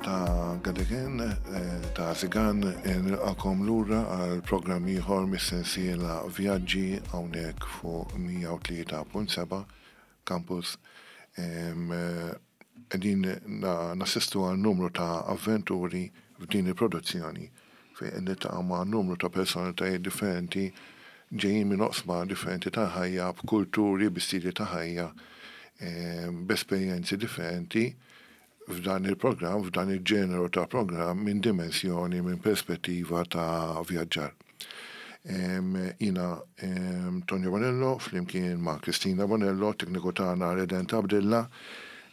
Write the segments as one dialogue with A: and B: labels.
A: ta' Gadegen eh, ta' Zigan eh, nilqakom lura għal programm ieħor mis-sensiela Vjaġġi hawnhekk fuq 103.7 Campus. Qegħdin nassistu għal numru ta' avventuri f'din il-produzzjoni fejn qed niltaqgħu ma' numru ta' personalitajiet differenti ġejjin minn oqsma differenti tal-ħajja, b'kulturi, bi stili ta' ħajja, b'esperjenzi differenti f'dan il-programm, f'dan il-ġeneru ta' programm minn dimensjoni, minn perspettiva ta' vjaġġar. Jiena Tonio Bonello flimkien ma' Kristina Bonello, tekniku tagħna Redent Abdilla,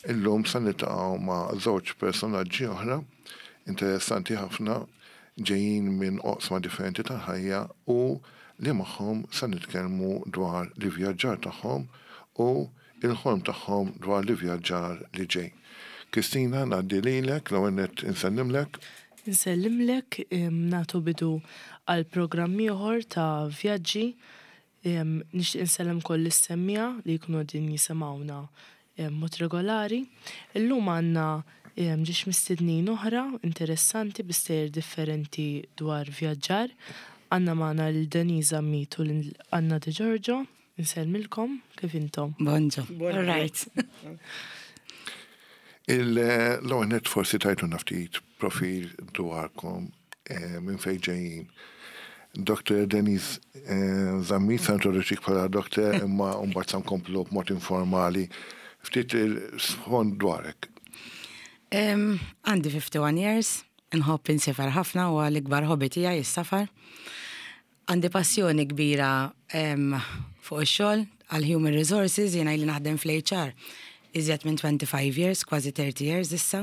A: illum se niltaqgħu ma' żewġ personaġġi oħra interessanti ħafna ġejjin minn oqsma differenti tal-ħajja u li magħhom se nitkellmu dwar l-ivvjaġġar tagħhom u l-ħolm tagħhom dwar l-ivvjaġġar li ġej. Kristina, ngħaddi lilek, l-ewwel nett insellimlek.
B: Insellimlek, nagħtu bidu għal programm ieħor ta' vjaġġi. Nixtieq insellem ukoll lis-semmiegħa li jkunu qegħdin jisimgħuna b'mod regolari. Illum għandna ġiex mistednin oħra interessanti bi stejjer differenti dwar vjaġġar. Għandna magħna lil Denise Zammit u lil Anna De Giorgio. Insellmilkom, kif intom?
C: Bonġu. All right.
A: Il-ewwel nett forsi tajtuna ftit profil dwarkom eh, minn fejn ġejjin. Dr. Denise eh, Zammit sa introduċik bħala doktor imma mbagħad sa nkomplu b'mod informali. Ftit il-sfond dwarek.
C: Għandi 51 years, nħobb insifar ħafna u għal-ikbar hobby tiegħi is-safar. Għandi passjoni kbira fuq ix-xogħol għal human resources, jiena ili naħdem fl-HR iżjed minn 25 years, kważi 30 years issa.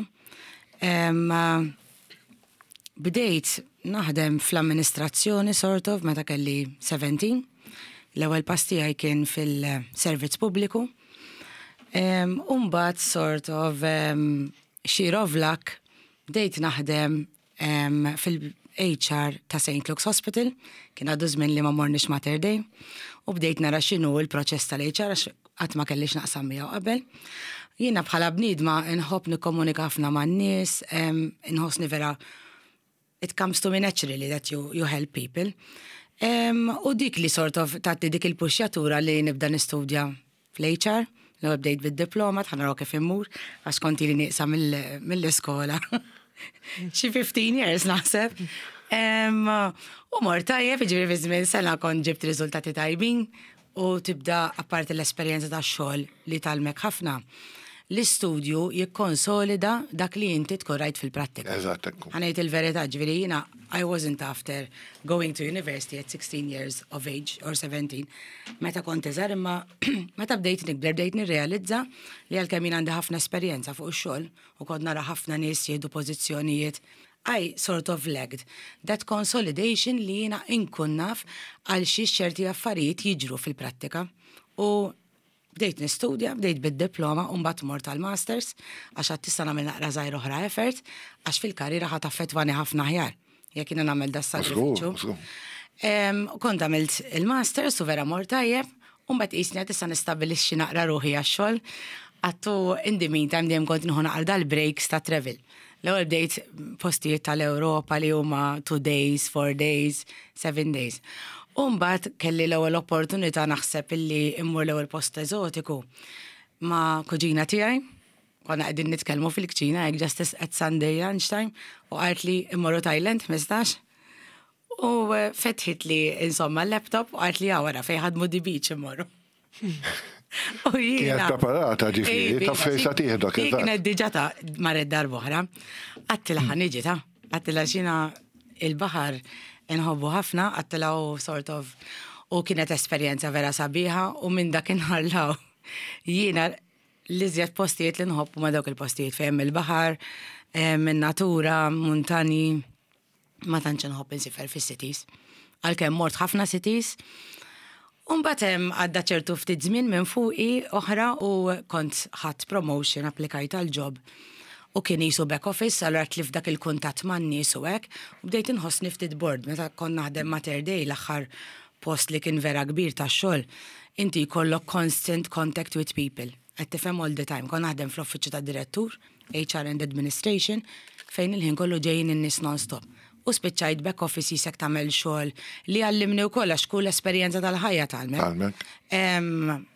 C: Bdejt naħdem fl-amministrazzjoni sort of meta kelli 17. L-ewwel pass tiegħi kien fil-servizz pubbliku. U mbagħad sort of sheer of luck bdejt naħdem fil-HR ta' St. Luke's Hospital, kien għadu żmien li ma morniex Mater Dei, u bdejt nara x'inhu l-proċess tal-HR għax qatt ma kellix naqsam miegħu qabel. Jiena bħala bniedma nħobb nikkomunika ħafna man-nies, inħossni vera it comes to me naturally that you, you help people. U dik li sort of tagħti dik il-puxjatura li nibda nistudja fl-HR, l-ewwel bdejt bid-diploma, tħa naraw kif immur, għax kont ili nieqsa mill-iskola. Xi 15 years naħseb. U mort tajjeb, jiġifieri fi żmien sena kont ġibt riżultati tajbin u tibda apparti l-esperjenza tax-xogħol li tgħallmek ħafna. L-istudju jikkonsolida dak li inti tkun rajt fil-prattika.
A: Eżatt, ekku.
C: Ħa ngħid il-verità, ġifieri jiena I wasn't after going to university at 16 years of age or 17, meta kont iżgħar imma meta bdejt nikber bdejt nirrealizza li għalkemm jien għandi ħafna esperjenza fuq ix-xogħol u kont nara ħafna nies jieħdu pożizzjonijiet I sort of lacked that consolidation li jiena inkun naf għal xiex ċerti affarijiet jiġru fil-prattika. U Bdejt nistudja, bdejt bid-diploma u mbagħad mort għall-masters għax għad tista' nagħmel naqra żgħir oħra effort għax fil-karriera ħa taffettwani ħafna aħjar jekk jiena nagħmel das-sagrifiċċju. Kont għamilt il-masters u vera mort tajjeb u mbagħad qisni għad issa nistabbilixxi naqra ruħi għax-xogħol. Għattu in the meantime dejjem kont nieħu naqra dal-breaks ta' travel. L-ewwel bdejt postijiet tal-Ewropa li huma 2 days, 4 days, 7 days. U mbagħad kelli l-ewwel opportunità naħseb illi immur l-ewwel post eżotiku ma' kuġina tiegħi. Konna qegħdin nitkellmu fil-kċina hekk just at Sunday lunchtime u qalt li immorru Thailand 15. U eh, fetħit li insomma l-laptop u qalt li wara fejn ħadmu di beach immorru.
A: U jiena. Kienet preparata ġifieri, ta' fejn sa tieħdok.
C: Kienet diġà ta' marret darb'oħra. Għattilha ħa niġi ta' għattilha xina il-baħar inħobbu ħafna, għattilha u sort of u kienet esperjenza vera sabiħa u minn dakinhar law jiena l-iżjed postijiet li nħobb huma dawk il-postijiet fejn il-baħar, in-natura, muntani. Ma tantx inħobb insifer fis-cities. Għalkemm mort ħafna cities. U mbagħad hemm għadda ċertu ftit żmien minn fuqi oħra u kont ħadt promotion, applikajt għal job u kien qisu back office, allura tlift dak il-kuntatt man-nies u hekk, u bdejt inħossni ftit bored meta kont naħdem Mater Dei l-aħħar post li kien vera kbir tax-xogħol, inti jkollok constant contact with people. Qed tifhem all the time. Kont naħdem fl-uffiċċju tad-direttur, HR and Administration, fejn il-ħin kollu ġejjin in-nies non-stop. U spiċċajt back office jisek tagħmel xogħol li għallimni wkoll għax kull esperjenza tal-ħajja tgħallmek.
A: Tgħallmek.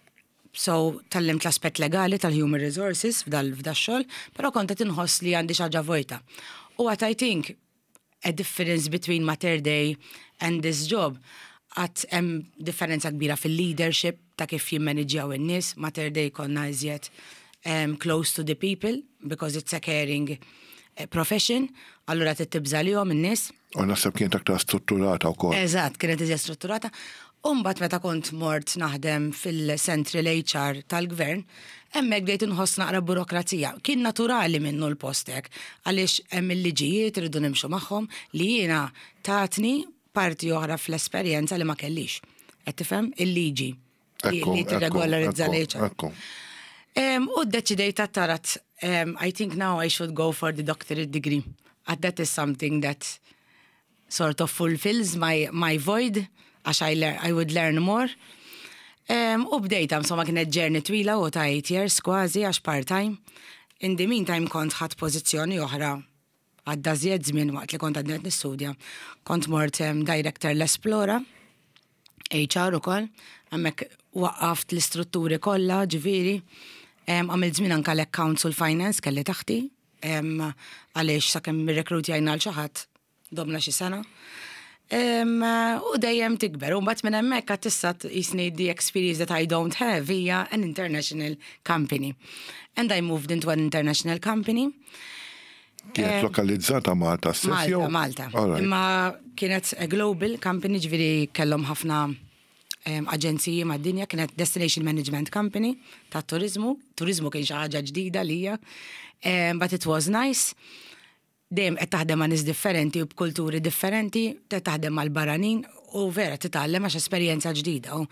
C: So, tgħallimt l-aspett legali tal-human resources f'dal f'dax-xogħol, però kont qed inħoss li għandi xi ħaġa vojta. U what I think a difference between Mater Dei and this job, għad hemm differenza kbira fil-leadership ta' kif jimmaniġġjaw in-nies. Mater Dei konna iżjed close to the people because it's a caring profession, allura trid tibża' lihom in-nies.
A: U naħseb kienet aktar strutturata wkoll.
C: Eżatt, kienet iżjed strutturata. U mbagħad meta kont mort naħdem fil-Central HR tal-Gvern, hemmhekk bdejt inħoss naqra burokrazija. Kien naturali minnu l-post hekk, għaliex hemm il-liġijiet irridu nimxu magħhom li jiena tatni parti oħra fl-esperjenza li ma kellix. Qed tifhem? Il-liġi li tirregolarizza l-HR. U ddeċidejt għat-tarat, I think now I should go for the doctorate degree. And that is something that sort of fulfills my, my void, għax I, I would learn more. U bdejta, insomma, kienet journey twila u ta' 8 years kważi, għax part-time. In the meantime kont ħadt pożizzjoni oħra għadda żjed żmien waqt li kont għadni qed nistudja. Kont mort director l-Esplora, HR ukoll, hemmhekk waqqaft l-istrutturi kollha, ġifieri. Għamilt żmien anke l-accounts u l-finance kelli taħti, għaliex sakemm irrekrutjajna għal xi ħadd domna xi sena. U dejjem tikber, u mbagħad minn hemmhekk għad issa jisni the experience that I don't have hija an international company. And I moved into an international company.
A: Kienet lokalizzata Malta stess
C: Malta, Malta. Imma kienet a global company, ġifieri kellhom ħafna aġenziji mad-dinja, kienet destination management company ta' turizmu. Turizmu kien xi ħaġa ġdida lija. But it was nice. Dejjem qed taħdem ma' nies differenti u b'kulturi differenti, qed taħdem mal-barranin u vera titgħallem għax esperjenza ġdida. U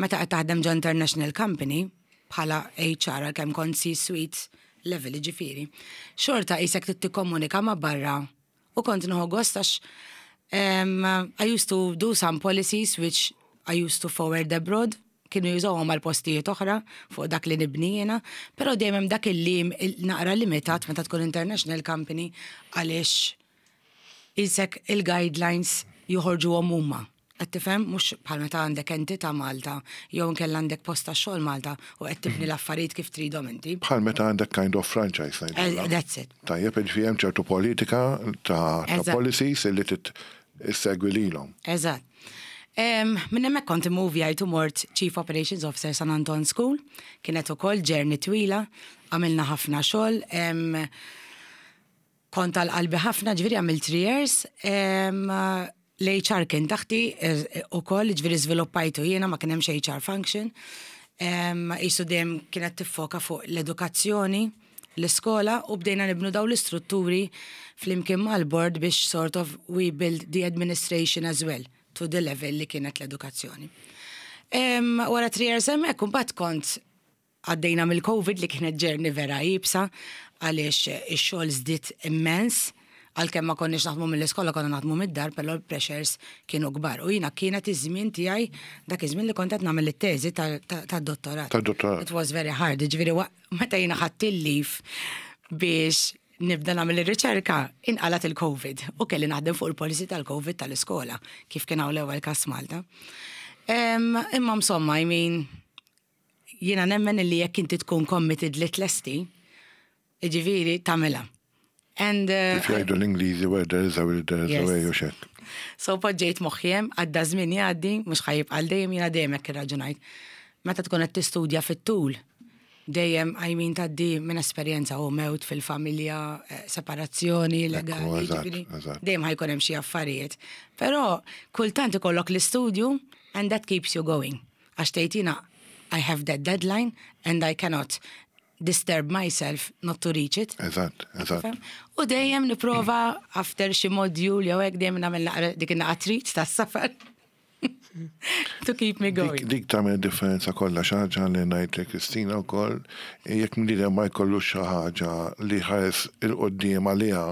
C: meta qed taħdem ġo international company bħala HR għalkemm kont C-suite level ġifieri, xorta qisek trid tikkomunika ma' barra u kont nieħu gost għax I used to do some policies which I used to forward abroad, kienu jużawhom għal postijiet oħra fuq dak li nibni jiena, però dejjem hemm dak il-lim naqra limitat meta tkun international company għaliex isek il-guidelines joħorġuhom huma. Qed tifhem mhux bħal meta għandek entità Malta jew inkella għandek post tax-xogħol Malta u qed tibni l-affarijiet kif tridhom inti.
A: Bħal meta għandek kind of franchise.
C: That's it.
A: Tajjeb, ġifieri hemm ċertu politika ta' policies illi trid issegwi lilhom.
C: Eżatt. Minn hemmhekk kont immovjajt u mort Chief Operations Officer San Anton School, kienet ukoll journey twila, għamilna ħafna xogħol, kont għal qalbi ħafna, ġifieri għamilt 3 years, l-HR kien taħti ukoll, ġifieri żviluppajtu jiena ma kien hemmx HR function. Isu dejjem kienet tiffoka fuq l-edukazzjoni, l-iskola u bdejna nibnu daw l-istrutturi flimkien mal-board biex sort of we build the administration as well to the level li kienet l-edukazzjoni. Wara 3 years hemmhekk imbagħad kont għaddejna mill-Covid li kienet journey vera iebsa għaliex ix-xogħol żdied immens għalkemm ma konniex naħdmu mill-iskola konna naħdmu mid-dar, però l-pressures kienu kbar. U jiena kienet iż-żmien tiegħi dak iż-żmien li kont qed nagħmel it-teżi tad-dottorat.
A: Tad-dottorat.
C: It was very hard, ġifieri meta jiena ħadt il-leave biex nibda nagħmel ir-riċerka, inqalat il-Covid u kelli naħdem fuq il-policy tal-Covid tal-iskola, kif kien hawn l-ewwel każ Malta. Imma insomma, I mean, jiena nemmen li jekk inti tkun committed li tlesti, jiġifieri tagħmilha. And
A: Kif jgħidu l-Ingliżi, where there is a will, there is a way, u xek.
C: So poġġejt moħħi hemm, għadda żmien jgħaddi, mhux ħa jibqa' dejjem jiena dejjem hekk irraġunajt. Meta tkun qed tistudja fit-tul, dejjem I mean tgħaddi minn esperjenza u mewt fil-familja, separazzjoni legali, ġifieri, dejjem ħa jkun hemm xi affarijiet. Però kultant ikollok l-istudju and that keeps you going. Għax tgħid jiena I have that deadline and I cannot disturb myself not to reach it.
A: Eżatt, eżatt.
C: U dejjem nipprova after xi module jew hekk dejjem nagħmel naqra dik in-naqa treat tas-safar. To keep me going.
A: Dik tagħmel differenza kollha xi ħaġa li ngħid Kristina wkoll, jekk bniedem ma jkollux xi ħaġa li ħares 'il quddiem għaliha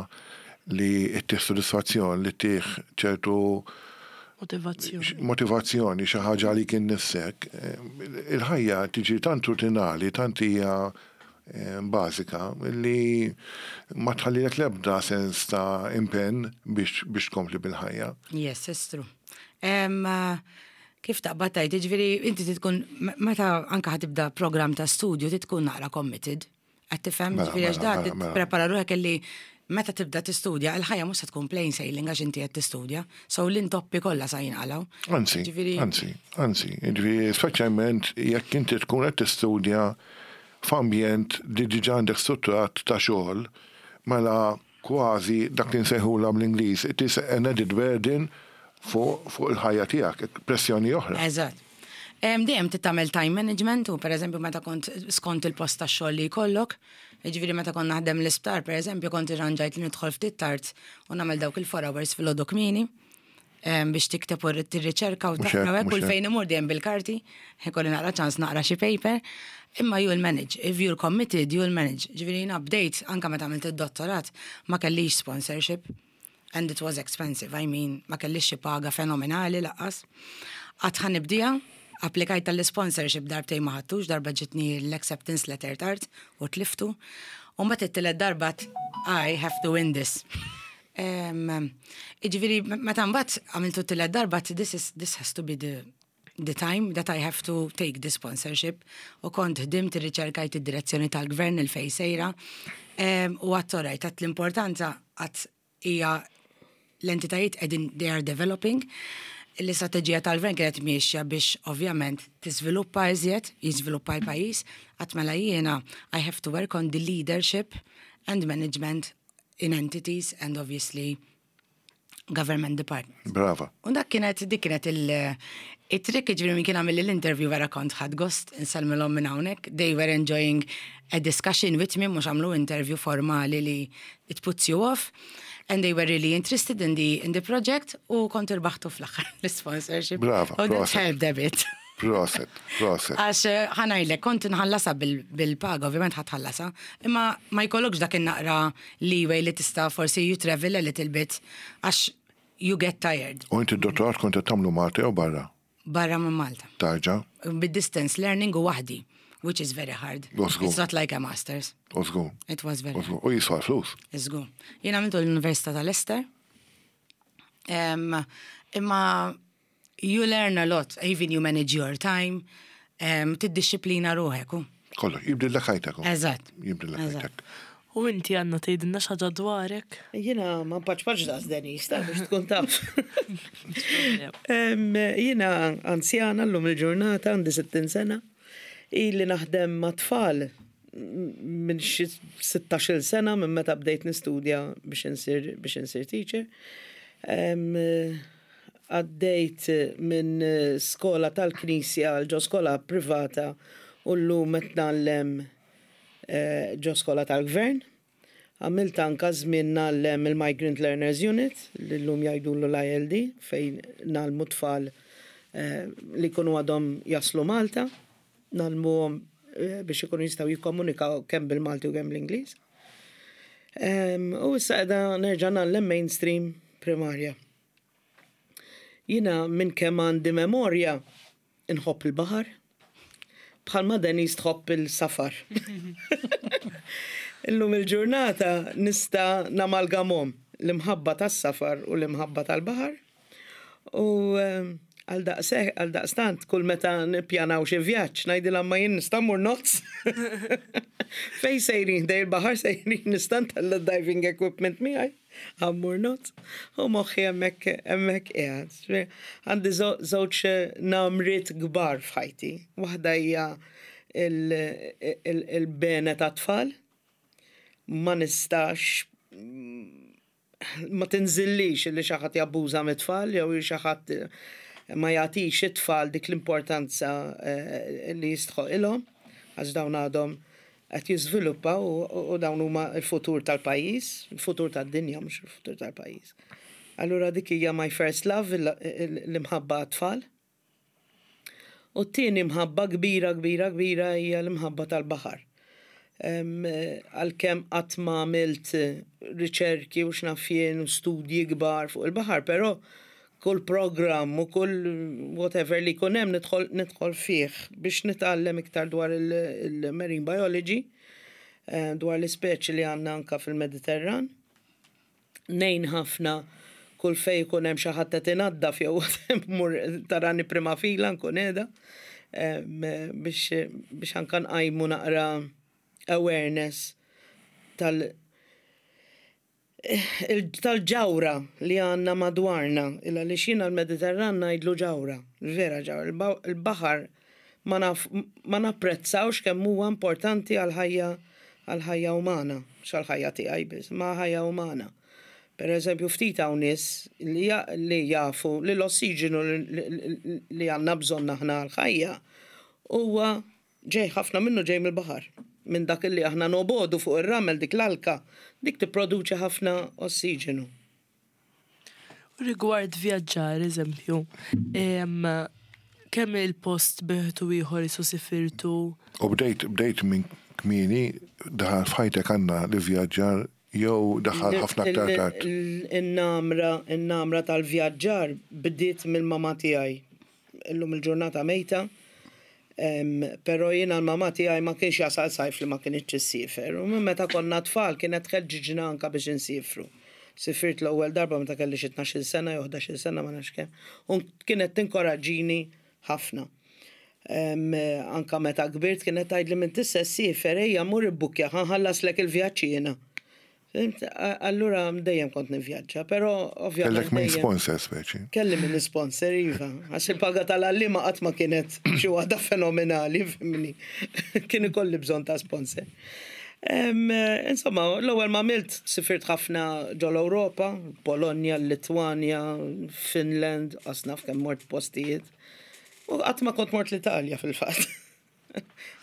A: li ttih sodisfazzjon li ttih ċertu.
B: Motivazzjoni.
A: Motivazzjoni, xi ħaġa għalik innifsek. Il-ħajja tiġi tant rutinali, tant hija bażika li ma tħallilek l-ebda sens ta' impenn biex biex tkompli bil-ħajja.
C: Yes, it's true. Kif taqbad tgħid, jiġifieri inti trid tkun meta anke ħa tibda programm ta' studju trid tkun naqra committed. Qed tifhem?
A: Mela,
C: Ġifieri għax
A: mela,
C: da
A: mela, mela.
C: prepara ruħek illi meta tibda tistudja, il-ħajja mhux se tkun plain sailing għax inti qed tistudja. So l-intoppi kollha sa jinqalgħu.
A: Anzi,
C: Ġifieri
A: anzi, anzi, ġifieri speċjalment jekk inti tkun qed tistudja f'ambjent li diġà għandek strutturat ta' xogħol, mela kważi dak li nsejħulha bl-Ingliż, it is an added burden fuq fuq il-ħajja tiegħek, pressjoni oħra.
C: Eżatt. Dejjem trid tagħmel time management u pereżempju meta kont skont il-post tax-xogħol li jkollok, jiġifieri meta kont naħdem l-isptar pereżempju kont irranġajt li nidħol ftit tard u nagħmel dawk il-4 hours filgħodu kmieni biex tikteb u tirriċerka u
A: Mhux
C: taqra
A: hekk,
C: u hekk
A: mhux
C: kull
A: hekk.
C: fejn imur dejjem bil-karti, ikolli naqra ċans naqra xi paper, imma you'll manage. If you're committed, you'll manage. Ġifieri jiena bdejt anke meta għamilt id-dottorat ma kellix sponsorship and it was expensive. I mean, ma kellix xi paga fenomenali lanqas. Għad ħa nibdieha, applikajt tal-sponsorship darbtejn ma ħadtux, darba ġitni l-acceptance letter tard u tliftu. U mbagħad it-tielet darba I have to win this. Iġifieri, meta mbagħad għamiltu t-tielet darba, this has to be the time that I have to take the sponsorship. U kont ħdimt irriċerkajt id-direzzjoni tal-gvern il-fej sejra. U għedt alright, għedt l-importanza għedt hija l-entitajiet qegħdin they are developing. L-istrateġija tal-gvern kienet miexja biex ovvjament tiżviluppa iżjed, jiżviluppa l-pajjiż, għedt mela jiena I have to work on the leadership and management in entities and obviously government departments.
A: Brava.
C: U dak kienet, dik kienet il-trick ġifieri min kien għamel l-interview vera kont ħadt gost insellmilhom minn hawnhekk. They were enjoying a discussion with me, mhux għamlu interview formali li it puts you off. And they were really interested in the project u kont irbaħtu fl-aħħar l-sponsorship.
A: Brava,
C: U that
A: proset.
C: helped a bit.
A: Proset, proset.
C: Għax ħa ngħidlek, kont nħallasha bil-paga, ovvjament ħa tħallasha, imma ma jkollokx dak in-naqra leeway li tista' forsi you travel a little bit, għax you get tired.
A: U inti d-dottorat kont qed tagħmlu Malta jew barra?
C: Barra minn Malta.
A: Tarġa,
C: Bid-distance learning u waħdi, which is very hard.
A: U żgur.
C: It's not like a master's.
A: u żgur.
C: It was very
A: U żgur. U jiswa flus.
C: Żgur. Jien għamiltu l-Università ta' Leicester. Imma you learn a lot, even you manage your time, tiddixxiplina ruħek. u.
A: Kollox, jibdillek ħajtek. u.
C: Eżatt.
A: Jibdillek
C: Eżatt.
A: ħajtek.
B: U inti għandna tgħidilna xi ħaġa dwarek?
D: Jiena ma npaċpaċ daqs Denise, ta' biex tkun taf. Jiena anzjana l-lum il-ġurnata, għandi 60 sena, ili naħdem ma' tfal minn xi 16 sena minn meta bdejt nistudja biex insir teacher. Għaddejt minn skola tal-knisja għal ġo skola privata u llum qed ngħallem ġo skola tal-gvern. Għamilt anka żmien ngħallem il-Migrant Learners Unit, li llum jgħidulu l-ILD, fejn ngħallmu tfal li jkunu għadhom jaslu Malta, ngħallmuhom biex ikunu jistgħu jikkomunikaw kemm bil-Malti u kemm bl-Ingliż. U issa qiegħda nerġa' ngħallem mainstream primarja. Jiena minn kemm għandi memorja inħobb il-baħar, bħalma Denise tħobb il-safar. Illum il-ġurnata nista' namalgamhom l-imħabba tas-safar u l-imħabba tal-baħar. U għal daqstant, kull meta nippjanaw xi vjaġġ, ngħidilha ma jien nista' mmur ngħodd. Fej sejrin, ħdejn il-baħar sejrin nista' ntella' diving equipment miegħi, ħa mmur ngħodd. U moħħi hemmhekk hemmhekk qiegħed. Għandi żewġ namriet kbar f'ħajti. Waħda hija il-bene ta' tfal. Ma nistax ma tinżillix li xi ħadd jabbuża mit-tfal jew xi ħadd ma jagħtix it-tfal dik l-importanza li jistħoqilhom għax dawn għadhom qed jiżviluppaw u dawn huma l-futur tal-pajjiż, il-futur tad-dinja mhux il-futur tal-pajjiż. Allura dik hija my first love, l-imħabba għat-tfal. U t-tieni mħabba kbira, kbira, kbira hija l-imħabba tal-baħar. Għalkemm qatt ma għamilt riċerki u x'naf jien u studji kbar fuq il-baħar, però Kull programm u kull whatever li jkun hemm nidħol nidħol fih biex nitgħallem iktar dwar il-marine biology, dwar l-ispeċi li għandna anka fil-Mediterran. Ngħin ħafna kull fejn ikun hemm xi ħadd qed inaddaf jew mmur tarani prima fila nkun qiegħda biex biex anka nqajmu naqra awareness tal tal-ġawhra li għandna madwarna, il għaliex jiena l-Mediterran ngħidlu ġawhra, vera ġawhra. Il-baħar ma naf ma napprezzawx kemm huwa importanti għall-ħajja għall-ħajja umana, mhux għall-ħajja tiegħi biss, imma għall-ħajja umana. Per eżempju ftit hawn nies li li jafu li l-ossiġenu li għandna bżonn aħna għall-ħajja huwa Ġej, ħafna minnu ġej mill-baħar. Minn dak li aħna nobogħdu fuq ir-ramel, dik l-alka, dik tipproduċi ħafna ossiġenu.
B: U rigward vjaġġar, eżempju, kemm il-post b'wieħed u ieħor isu sifirtu?
A: U bdejt, bdejt minn kmieni, daħal f'ħajtek Anna l-ivvjaġġar jew daħal ħafna aktar tard?
D: In-namra, in-namra tal-vjaġġar bdiet mill-mamà tiegħi. Illum il-ġurnata mejta, però jiena l-mamà tiegħi ma kienx jasal sajf li ma kinitx issiefer. U minn meta konna tfal kienet tħeġġiġna anke biex insiefru. Sifirt l-ewwel darba meta kelli xi tnax-il sena jew ħdax-il sena ma nafx kemm. U kienet tinkoraġġini ħafna. Anke meta kbirt kienet tgħidli m'intix se ssiefer ejja mur ibbukkja ħa nħallaslek il-vjaġġ jiena. Fhimt? Allura dejjem kont nivvjaġġa, però ovvjament.
A: Kellek min sponsor speċi.
D: Kelli min sponsor, iva. Għax il-paga tal-għalliema qatt ma kienet xi waħda fenomenali, fhimni. Kien ikolli bżonn ta' sponsor. Insomma, l-ewwel ma għamilt sifirt ħafna ġol-Ewropa, Polonja, Litwanja, Finland, qas naf kemm mort postijiet. U qatt ma kont mort l-Italja fil-fatt.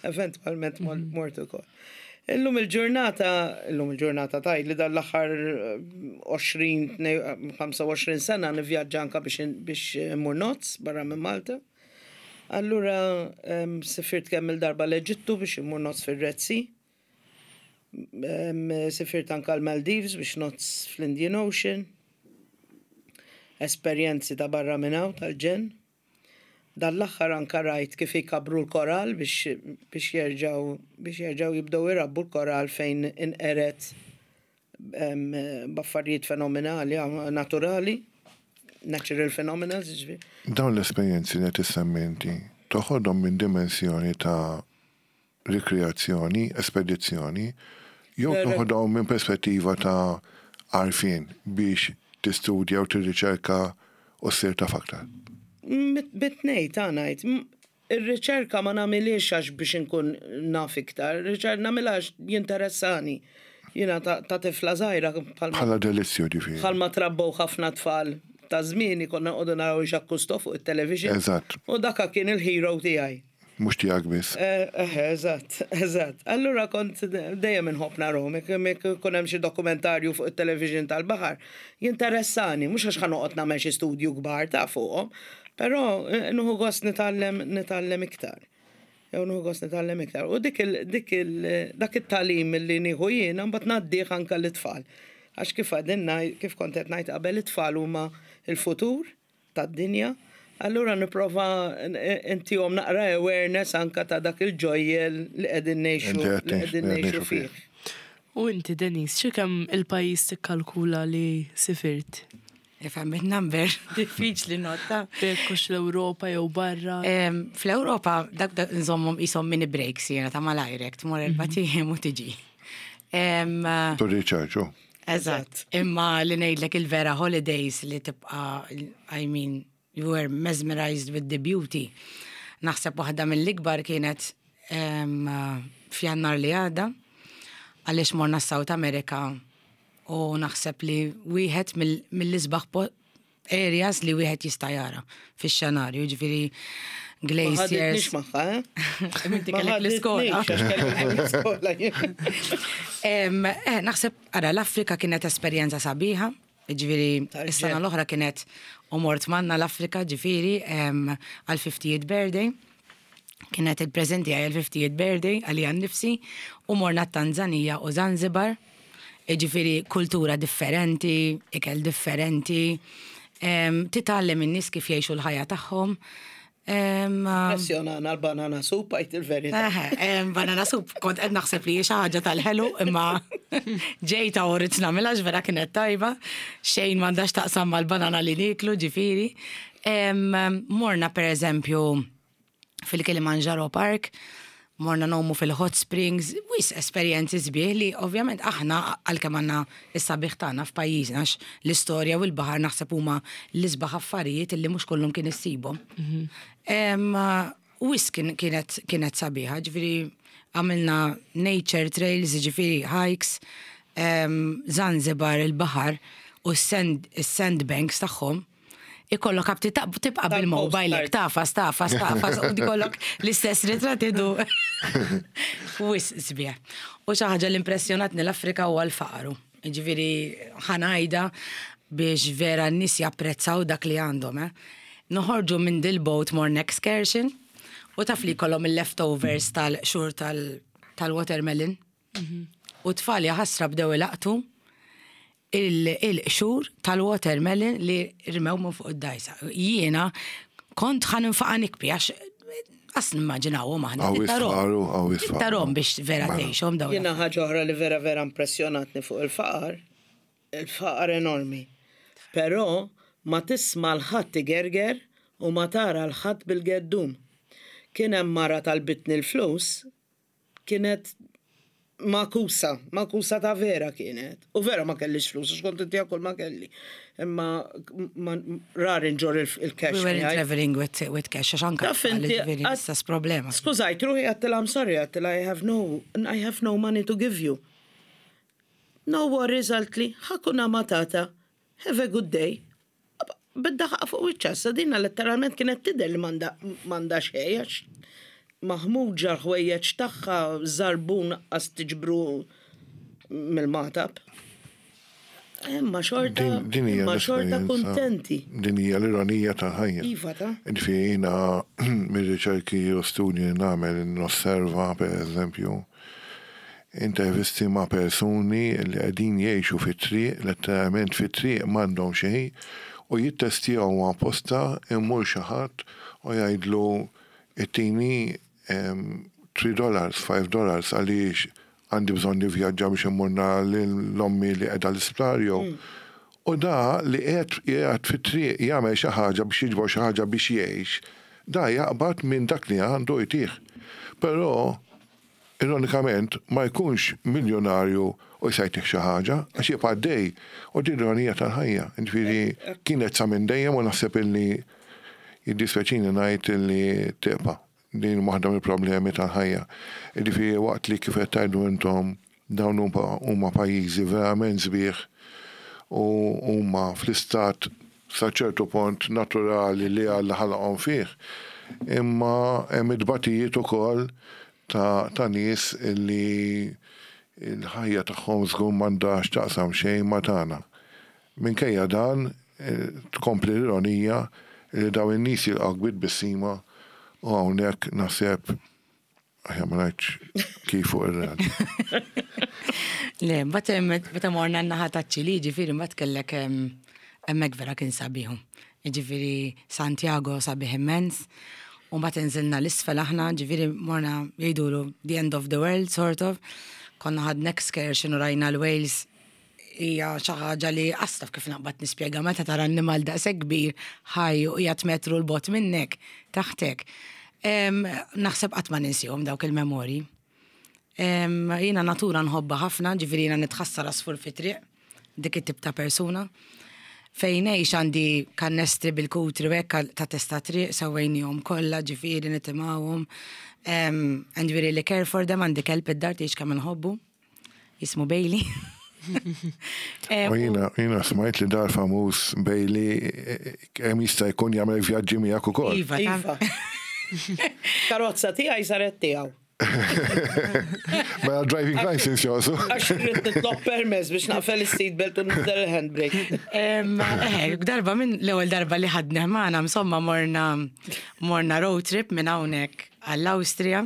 D: Eventwalment mort ukoll. Illum il-ġurnata, illum il-ġurnata tgħid li dan l-aħħar 20, 25 sena nivvjaġġa anka biex biex immur nozz barra minn Malta. Allura sifirt kemm il-darba l-Eġittu biex immur nozz fir-Red Sea. Sifirt anka l-Maldives biex nozz fl-Indian Ocean. Esperjenzi ta' barra minn hawn tal-ġenn. Dan l-aħħar anka rajt kif jkabbru l-korall biex biex jerġgħu biex jerġgħu jibdew irabbu l-korall fejn inqered b'affarijiet fenomenali, naturali, natural phenomena, jiġifieri.
A: Dawn l-esperjenzi li qed issemmi inti toħodhom minn dimensjoni ta' rikreazzjoni, espedizzjoni, jew toħodhom minn perspettiva ta' għarfien biex tistudja u tirriċerka u ssir taf aktar?
D: Bit-tnejn ta' ngħid. Ir-riċerka ma nagħmilhiex għax biex inkun naf iktar, ir-riċerka nagħmilha għax jinteressani. Jiena ta' tifla żgħira
A: bħal. Bħala delizzju ġifieri.
D: Bħalma trabbew ħafna tfal ta' żmieni konna noqogħdu naraw Jacques Cousteau fuq it-television.
A: Eżatt.
D: U daka kien il-hero tiegħi.
A: Mhux tiegħek biss.
D: Eħe, eżatt, eżatt. Allura kont dejjem inħobb narahom, jekk ikun hemm xi dokumentarju fuq it-television tal-baħar, jinteressani, mhux għax ħa noqgħod nagħmel xi studju kbar ta' fuqhom, però nieħu gost nitgħallem nitgħallem iktar. Jew nieħu gost nitgħallem iktar. U dik il dik il dak it-tagħlim li nieħu jiena mbagħad ngħaddih anke lit-tfal. Għax kif qegħdin ngħid, kif kont qed ngħid qabel it-tfal huma l-futur tad-dinja, allura nipprova ntihom naqra awareness anka ta' dak il-ġojjel li qegħdin ngħixu li qegħdin ngħixu fih.
B: U inti Denise, xi kemm il-pajjiż tikkalkula li sifirt?
C: Ifhem in-number, diffiċli notta.
B: Jekk hux l-Ewropa jew barra.
C: Fl-Ewropa dak nżommhom qishom mini breaks jiena ta' malajrek, tmur erbat ijiem u tiġi.
A: To recharge, oh.
C: Eżatt. Imma li ngħidlek il-vera holidays li tibqa' I mean, you were mesmerized with the beauty. Naħseb waħda mill-ikbar kienet f'Jannar li għadda għaliex morna South America u naħseb li wieħed mill-isbaħ areas li wieħed jista' jara fix-xenarju, ġifieri glaciers.
D: Ma ħaditnix magħha, eh?
C: Inti kellek l-iskola. Eh, naħseb, ara, l-Afrika kienet esperjenza sabiħa, ġifieri is-sena l-oħra kienet u mort manna l-Afrika, ġifieri għal 50th birthday. Kienet il-preżent tiegħi għal 50th birthday għalija nnifsi u morna t-Tanzanija u Zanzibar. Jiġifieri kultura differenti, ikel differenti. Titgħallem in-nies kif jgħixu l-ħajja tagħhom.
D: Impressjonana l-banana soup għajt il-verità.
C: Banana soup kont qed naħseb li xi ħaġa tal-ħelu imma ġejta u rrid nagħmilha vera kienet tajba. Xejn m'għandax taqsam mal-banana li nieklu ġifieri. Morna pereżempju fil-Kilimanjaro Park, morna ngħumu fil-Hot Springs, wisq esperjenzi sbieħ li ovvjament aħna għalkemm għandna s-sabiħ tagħna f'pajjiżna għax l-istorja u l-baħar naħseb huma l-isbaħ affarijiet illi mhux kullum kien issibhom. Wisq kienet kienet sabiħa, ġifieri għamilna nature trails, ġifieri hikes, Zanzibar il-baħar u s-sandbanks tagħhom ikollok apti tibqa' bil-mobile hekk tafas, tafas, tafas u ikollok l-istess ritratt idu. Wisq sbieħ. U xi ħaġa li impressjonatni l-Afrika huwa l-faqar. Jiġifieri ħa ngħidha biex vera n-nies japprezzaw dak li għandhom. Eh. Noħorġu minn dil-boat morna excursion u taf li jkollhom il-leftovers tal-qxur tal-watermelon. U t-tfal jaħasra bdew ilaqtu il-qxur tal-watermelon li rmew minn fuq id-dajsa. Jiena kont ħa ninfaqa' nikbi għax qas nimmaġinawhom aħna. Tarom biex vera mela. tgħixhom
D: dawn. Jiena ħaġa oħra li vera vera impressjonatni fuq il-faqar, il-faqar enormi. Però ma tisma' l-ħadd igerger u ma tara l-ħadd bil-geddum. Kien hemm mara talbitni l-flus Kienet magħkusa, magħkusa ta' vera kienet. U vera ma kellix flus, għax kont intiha kull ma kelli. Imma rari nġorr il-cash.
C: We weren't traveling with, with cash, għax anka ġifieri l-istess problema.
D: Skużajt ruħi għedtilha I'm sorry, għedtilha I have no, I have no money to give you. No worries, qaltli, hakuna matata, have a good day. Bid-daħqa fuq wiċċha, issa dina letteralment kienet tidher li m'għandha xejn għax maħmuġa l-ħwejjeġ tagħha, żarbun aqqas tiġbru mill-magħtab. Imma xorta, imma xorta kuntenti.
A: Din hija l-ironija tal-ħajja.
D: Iva ta.
A: Ġifieri jiena mir-riċerki u studji li nagħmel nosserva pereżempju Intervisti ma' persuni li qegħdin jgħixu fit-triq, letteralment fit-triq m'għandhom xejn, u jittestjaw apposta imur xi ħadd u jgħidlu ittini three dollars, five dollars għaliex għandi bżonn nivvjaġġa biex immur nara lil ommi li qiegħda l-isptar jew U da li qiegħed qiegħed fit-triq jagħmel xi ħaġa biex jiġbor xi ħaġa biex jgħix, da jaqbad minn dak li għandu jtih. Però ironikament, ma jkunx miljunarju u jista' jtih xi ħaġa, għax jibqa' għaddej. U din l-ironija tal-ħajja. Jiġifieri kienet sa minn dejjem u naħseb illi jiddispjaċini ngħid illi tibqa'. Din waħda mill-problemi tal-ħajja. Jiġifieri waqt li kif qed tgħidu intom dawn huma pajjiżi verament sbieħ u huma fl-istat sa ċertu pont naturali li Alla ħalaqhom fih, imma hemm it-tbatijiet ukoll ta' ta' nies li l-ħajja tagħhom żgur m'għandha x'taqsam xejn ma' tagħna. Minkejja dan, tkompli l-ironija li dawn in-nies jilqgħuk bi tbissima u hawnhekk naħseb Aħjar ma ngħidx kif fuq ir-radio.
C: Le, mbagħad meta morna n-naħa taċ-Ċili, ġifieri mbagħad kellek hemmhekk vera kien sabiħu. Ġifieri Santiago sabiħ immens. U mbagħad inżilna l-isfel aħna, ġifieri morna jgħidulu the end of the world sort of. Konna ħadna excursion u rajna l-whales hija xi ħaġa li qas taf kif naqbad nispjega meta tara annimal daqshekk kbir ħaj u qiegħed metru 'l bogħod minnek, taħtek. Naħseb qatt ma ninsihom dawk il-memorji. Jiena natura nħobbha ħafna, ġifieri jiena nitħassar għasfur fit-triq, dik it-tip ta' persuna. Fejn ngħix għandi kannestri bil-kutri u hekk ta' testa triq, sewwejnihom kollha, ġifieri nitimgħuhom. And we really care for them, għandi kelb id-dar tgħidx kemm inħobbu. Jismu Bailey.
A: Eh, u jina, jina smajt li dar famuż Bailey eh, kemm jista' jkun jagħmel vjaġġi miegħek ukoll.
C: Iva,
D: iva. Karozza tiegħi saret tiegħu.
A: Mela driving license josu.
D: Għax rrid nitlob permess biex naqfel is-seat belt u nibdel il-handbrake.
C: Eh, darba minn l-ewwel darba li ħadna magħna insomma morna morna road trip minn hawnhekk għall-Awstrija.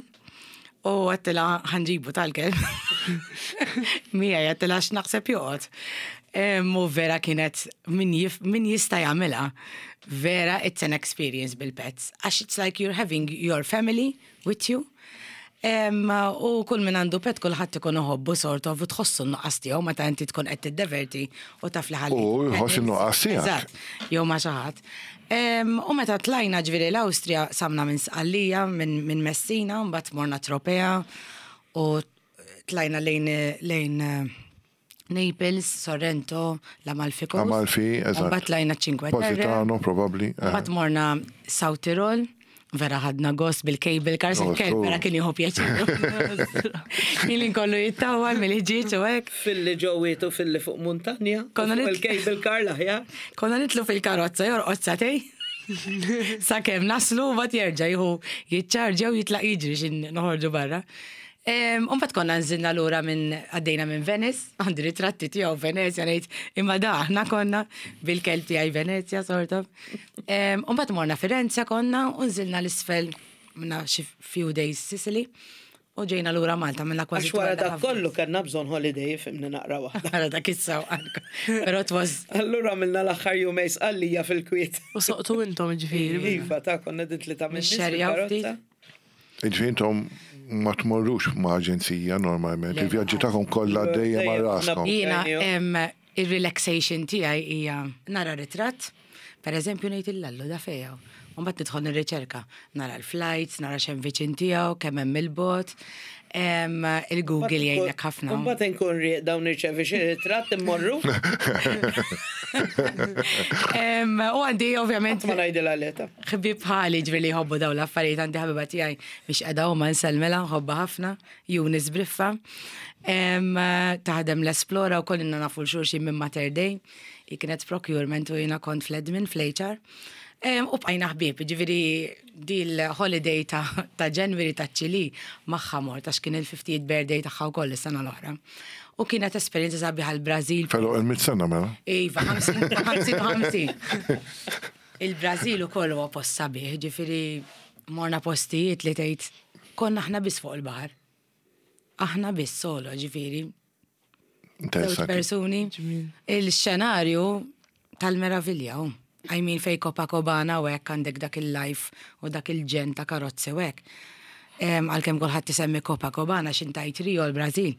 C: U għedtilha ħa nġibu tal-kelb. Miegħi għedtilha x'naħseb joqgħod. U vera kienet min, min jista' jagħmilha. Vera it's an experience bil-pets. Għax it's like you're having your family with you. U kull min għandu pet kulħadd ikun iħobbu sort of u tħossu n-nuqqas tiegħu meta inti tkun qed tiddeverti u taf li ħalli.
A: U jħoss in-nuqqas tiegħek.
C: Eżatt, jew ma' xi ħadd. U meta tlajna ġifieri l-Awstrija samna minn Sqallija, minn Messina, mbagħad morna Tropea u tlajna lejn lejn Naples, Sorrento, l-Amalfi Coast.
A: Amalfi, eżatt.
C: Mbagħad tlajna Cinque Terre.
A: Positano, probabbli. eh.
C: Mbagħad morna South Tirol, vera ħadna gost bil-cable cars,
A: Oh,
C: il-kelb
A: so.
C: vera kien jieħu pjaċir. Kien kollu jittawal mill-ħġieġ u hekk.
D: Filli ġewwiet u filli fuq muntanja.
C: Konna
D: Fuq
C: nit-
D: il-cable car l-aħjar.
C: Konna nitlu fil-karozza jorqod satej. Sakemm naslu u bat jerġa' jieħu jiċċarġja u jitlaq jiġri xin noħorġu barra. Umbat konna nżilna lura minn għaddejna minn Venice, għandi ritratti tiegħu Venezia ngħid imma da aħna konna bil-kelb tiegħi Venezia sort of. Umbat morna Firenze konna u nżilna l-isfel minna xi few days Sicily u ġejna lura Malta minna kważi.
D: Għax wara
C: 2.5
D: dak kollu kellna bżonn holiday fimni naqra waħda.
C: Wara dak is-sewqan. Però it was
D: Allura għamilna l-aħħar jumej Sqallija fil-kwiet.
B: U soqtu intom ġifieri.
D: Iva, ta' konna din li ta' minn nies
C: Nixxerjaw
D: fil-karozza.
A: Ġifieri intom ma tmorrux ma' aġenzija normalment,
C: Le.
A: il-vjaġġi tagħkom kollha dejjem għal
D: Dejjem
A: raskom.
C: Jiena
D: Genju.
C: em, il-relaxation tiegħi hija nara ritratt, per eżempju ngħid il-lallu da fejn. U mbagħad nidħol nirriċerka, nara l-flights, nara x'hemm viċin tiegħu, kemm hemm il-bot, em, il-Google jgħinek ħafna.
D: Mbagħad inkun rieqda u nirċevi xi ritratt immorru.
C: Em, U għandi ovvjament
D: Ma ngħidilha leta.
C: ħbib bħali ġifieri li jħobbu daw l-affarijiet għandi ħabiba tiegħi biex qiegħda huma nsellmilha nħobbha ħafna, Junis Briffa. Em, Taħdem l-Esplora u kollinna nafu l-xulxin minn Mater Dei. Hi kienet procurement u jiena kont fl-admin fl-HR. Em, U bqajna ħbieb, ġifieri di l-holiday ta', ta' January ta' ċili magħha mort għax kien il-50th birthday tagħha wkoll is-sena l-oħra. U kienet esperjenza sabiħa l-Brażil
A: Fellow il-mit sena mela.
C: Iva, 50 50 50. Il-Brażil ukoll huwa post sabiħ, ġifieri morna postijiet li tgħid konna aħna biss fuq il-baħar. Aħna biss solo, ġifieri, żewġ
A: Interessanti.
C: persuni. Il-xenarju tal-meravilja, hu. I mean fej Copacabana u hekk għandek dak il-life u dak il-ġen ta' karozzi u hekk. Em, Għalkemm kulħadd isemmi Copacabana x'intajt Rio l-Brażil.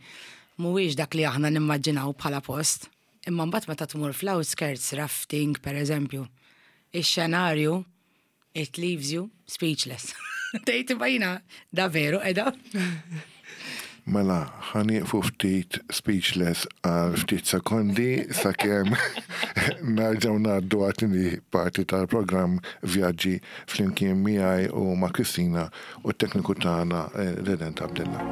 C: Mhuwiex dak li aħna nimmaġinaw bħala post. Imma mbagħad meta tmur fl-outskirts, rafting per eżempju, ix-xenarju it leaves you speechless. Tgħid imma jiena da veru qiegħda.
A: Mela, ħanieqfu ftit speechless għal ftit sekondi sakemm nerġgħu ngħaddu għat-tieni parti tal-programm Vjaġġi flimkien miegħi u ma' Kristina u t-tekniku tagħna eh, Redent Abdella.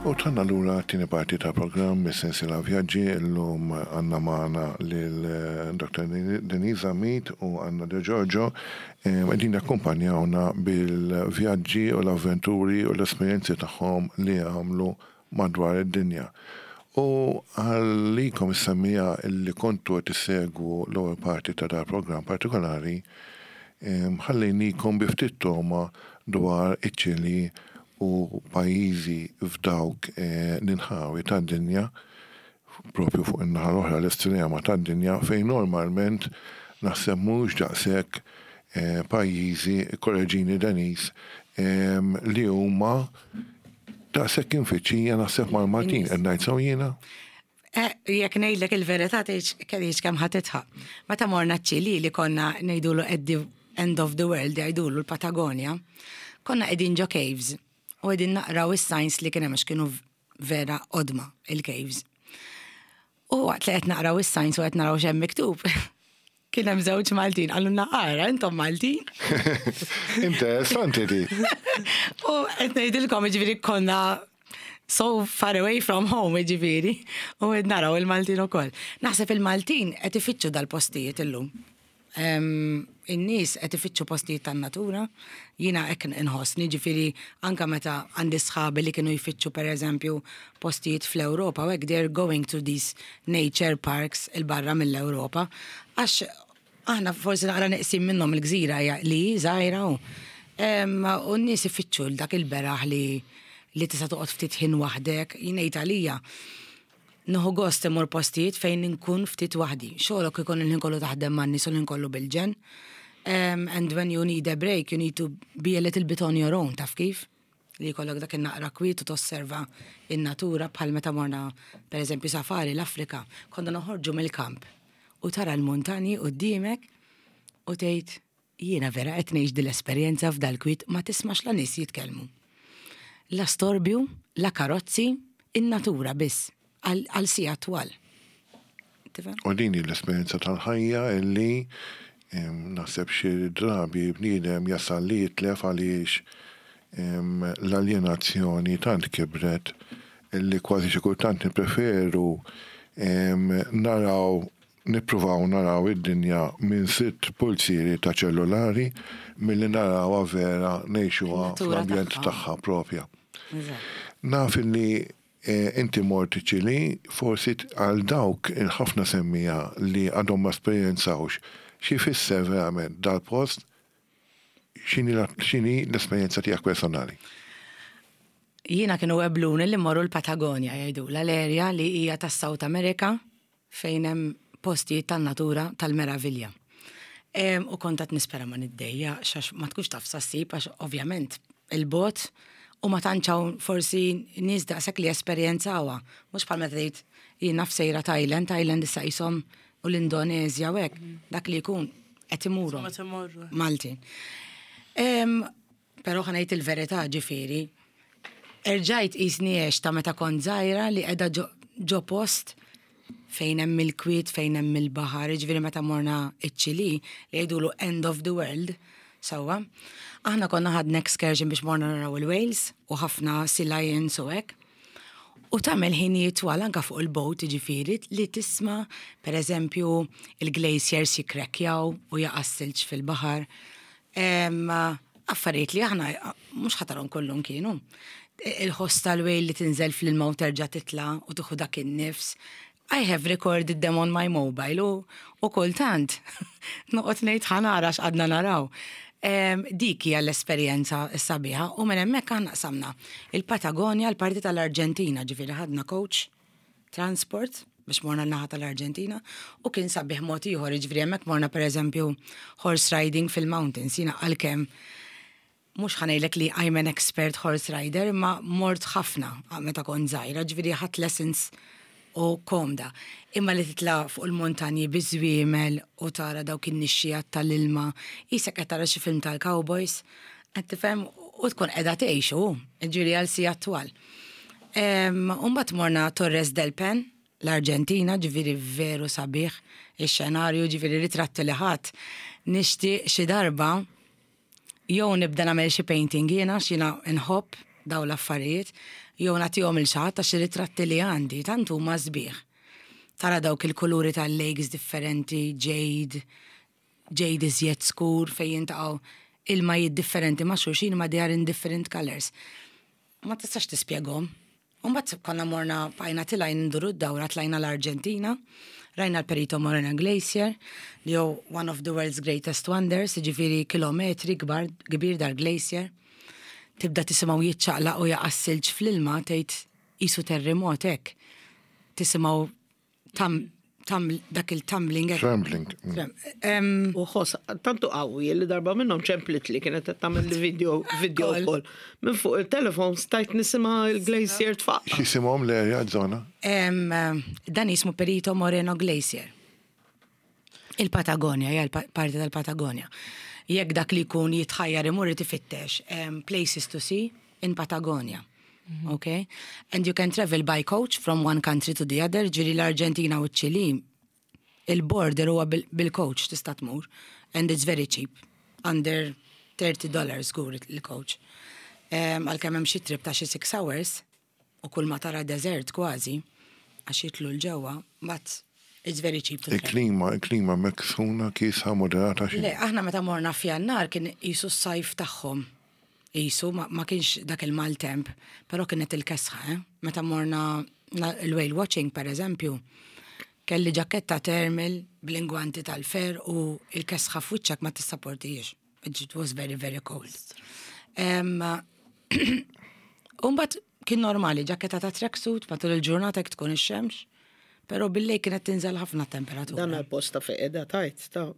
A: U tanna lura t-tieni parti ta' programm mis-sensiela Vjaġġi illum għandna magħna lil eh, Dr. Denise Zammit u Anna De Giorgio eh, qegħdin jakkumpanjawna bil-vjaġġi u l-avventuri u l-esperjenzi tagħhom li għamlu madwar id-dinja. U għalikom is-semmija li kontu qed issegwu l-ewwel parti ta' dal programm partikolari, em, ħallejnikom bi ftit toma dwar iċ-Ċili u pajjiżi f'dawk eh, l-inħawi tad-dinja, propju fuq in-naħa l-oħra l-estrema tad-dinja fejn normalment naħseb mhux daqshekk eh, pajjiżi, korreġini Denis, em, li huma daqshekk infittxija naħseb mal-Maltin, qed ngħid sew jiena.
C: Eh, Jekk ngħidlek il-verità tgħidx kellix kemm ħa titħaq. Meta morna ċ-Ċili li konna ngħidulu at the end of the world jgħidulu l-Patagonia, konna qegħdin ġo caves u qegħdin naqraw is-signs li kien hemm għax kienu vera qodma il-caves. U waqt li qed naqraw is-signs u qed naraw x'hemm miktub, kien hemm żewġ Maltin qalulna ara intom Maltin.
A: Interessanti di.
C: U qed ngħidilkom jiġifieri konna so far away from home jiġifieri u qed naraw il-Maltin ukoll. Naħseb il-Maltin qed ifittxu dal-postijiet illum. In-nies qed ifittxu postijiet tan-natura, jiena hekk inħossni, ġifieri anke meta għandi sħabi li kienu jfittxu pereżempju postijiet fl-Ewropa u hekk they're going to these nature parks 'il barra mill-Ewropa għax aħna forsi naqra neqsin minnhom il-gżira hija li hi żgħira u u n-nies ifittxu 'l dak il-beraħ li li tista' toqgħod ftit ħin waħdek, jien ngħid għalija Nieħu gost immur postijiet fejn inkun ftit waħdi. Xogħlok ikun il-ħin kollu taħdem man-nies u l-ħin kollu bil-ġenn. And when you need a break, you need to be a little bit on your own, taf kif? Li jkollok dak in-naqra kwiet u tosserva in-natura bħal meta morna pereżempju safari l-Afrika, konna noħorġu mill-kamp u tara l-muntanji quddiemek u tgħid Jiena vera qed ngħix dil-esperjenza f'dal-kwiet ma tismax la nies jitkellmu. La storbju, la karozzi, in-natura biss, għal sigħat twal. Tifhem?
A: U din hi l-esperjenza tal-ħajja illi naħseb xi drabi bniedem jasal li jitlef għaliex l-aljenazzjoni tant kibret illi kważi xi kultant nippreferu naraw Nippruvaw naraw id-dinja minn sitt pulzieri ta' ċellulari milli narawha vera ngħixuha fl-ambjent tagħha propja. Naf illi inti mort iċ-Ċilì, forsi għal dawk il-ħafna semmiegħa li għadhom ma esperjenzawx xi jfisser verament dal-post, x'inhi l-esperjenza tiegħek personali?
C: Jiena kienu webluni li mmorru l-Patagonia jgħidulha l-area li hija tas-South America fejn hemm postijiet tan-natura tal-meravilja. U kont qed nispera ma niddejjaqx għax ma tkunx taf sa ssib għax ovvjament il-bogħod u ma tantx hawn forsi nies daqshekk li esperjenzawha. Mhux bħal meta tgħid jien naf sejra Thailand, Thailand issa qishom u l-Indoneżja u hekk, dak li jkun qed imuru. Maltin. Però ħa ngħid il-verità ġifieri, erġajt qisni għext ta' meta kont żgħira li qiegħda ġo post fejn hemm il-kwiet, fejn hemm il-baħar, jiġifieri meta morna ċ-Ċilì li jgħidulu end of the world, sewwa. Aħna konna ħadna excursion biex morna naraw il-whales u ħafna sea lions u hekk. U tagħmel ħinijiet twal anke fuq il-boat jiġifieri li tisma' pereżempju il-glaciers jikkrekkjaw u jaqa' s-silġ fil-baħar. Affarijiet li aħna mhux ħa tarhom kullum kienu. Il-ħoss tal-whale li tinżel fl-ilma u terġa' titla' u tieħu dak in-nifs. I have recorded them on my mobile u, u kultant noqgħod ngħid ħa nara x'qadna naraw. Dik hija l-esperjenza s-sabiħa u minn hemmhekk aħna qsamna il-Patagonia l-parti tal-Arġentina, ġifieri ħadna coach transport biex morna l-naħa tal-Arġentina u kien sabiħ mod ieħor, jiġifieri hemmhekk morna pereżempju horse riding fil-mountains, jiena għalkemm mhux ħa ngħidlek li I'm an expert horse rider imma mort ħafna meta kont żgħira, ġifieri ħadt lessons u komda. Imma li titla' fuq il-muntanji biż-żwiemel u tara dawk in-nixxigħat tal-ilma, qisek qed tara xi film tal-cowboys, qed tifhem, u tkun qiegħda tgħix hu, ġifieri għal sigħat twal. U mbagħad morna Torres del Pen, l-Arġentina, ġifieri veru sabiħ ix-xenarju, ġifieri ritratti li ħadt. Nixtieq xi darba jew nibda nagħmel xi painting jiena għax jiena nħobb dawn l-affarijiet, jew nagħtihom lil xi ħadd għax ir-ritratti li għandi tant huma sbieħ. Tara dawk il-kuluri tal-lakes differenti, jade, jade iżjed skur fejn jintaqgħu ilmajiet differenti ma' xulxin imma they are in different colours. Ma tistax tispjegahom. U mbagħad konna morna bqajna tilgħin nduru d-dawra tlajna l-Arġentina, rajna l-Perito Moreno Glacier li hu one of the world's greatest wonders, jiġifieri kilometri kbar kbir dal-glacier. Tibda tisimgħu jiċċaqlaq u jaqa' s-silġ fl-ilma tgħid qisu terrimot hekk. Tisimgħu tam, tam, dak il-tumbling.
A: Trembling.
D: U ħoss, tantu qawwi li darba minnhom ċemplit li kienet qed tagħmel li video video call. Minn fuq il-telefon stajt nisimha il-glacier tfaqqa.
A: X'jisimhom l-area żona?
C: Dan jismu Perito Moreno Glacier. Il-Patagonia, hija parti tal-Patagonia. Jekk dak li jkun jitħajjar imur irid ifittex places to see in Patagonia. Mhm. Okay? And you can travel by coach from one country to the other, ġiri l-Arġentina u ċ-Ċili, il-border huwa bil-coach tista' tmur, and it's very cheap, under 30 dollars żgur il-coach. Għalkemm hemm xi trip ta' xi 6 hours, u kull ma tara desert kważi, għax jitlu l-ġewwa, but. It's very cheap to travel.
A: Il-klima, il-klima hemmhekk sħuna, kiesħa, moderata xi?
C: Le, aħna meta morna f'Jannar kien qisu s-sajf tagħhom. Qisu ma, ma kienx dak il-maltemp, però kienet il-kesħa, eh? Meta morna il-whale watching, per eżempju, kelli ġaketta thermal bl-ingwanti tal-fer u il-kesħa f'wiċċek ma tissaportijiex. It was very, very cold. Umbat kien normali, ġaketta ta' tracksuit matul il-ġurnata jekk tkun ix-xemx, però billejl kienet tinżel ħafna temperatura.
D: Dan għal-posta fejn qiegħda tajt ta'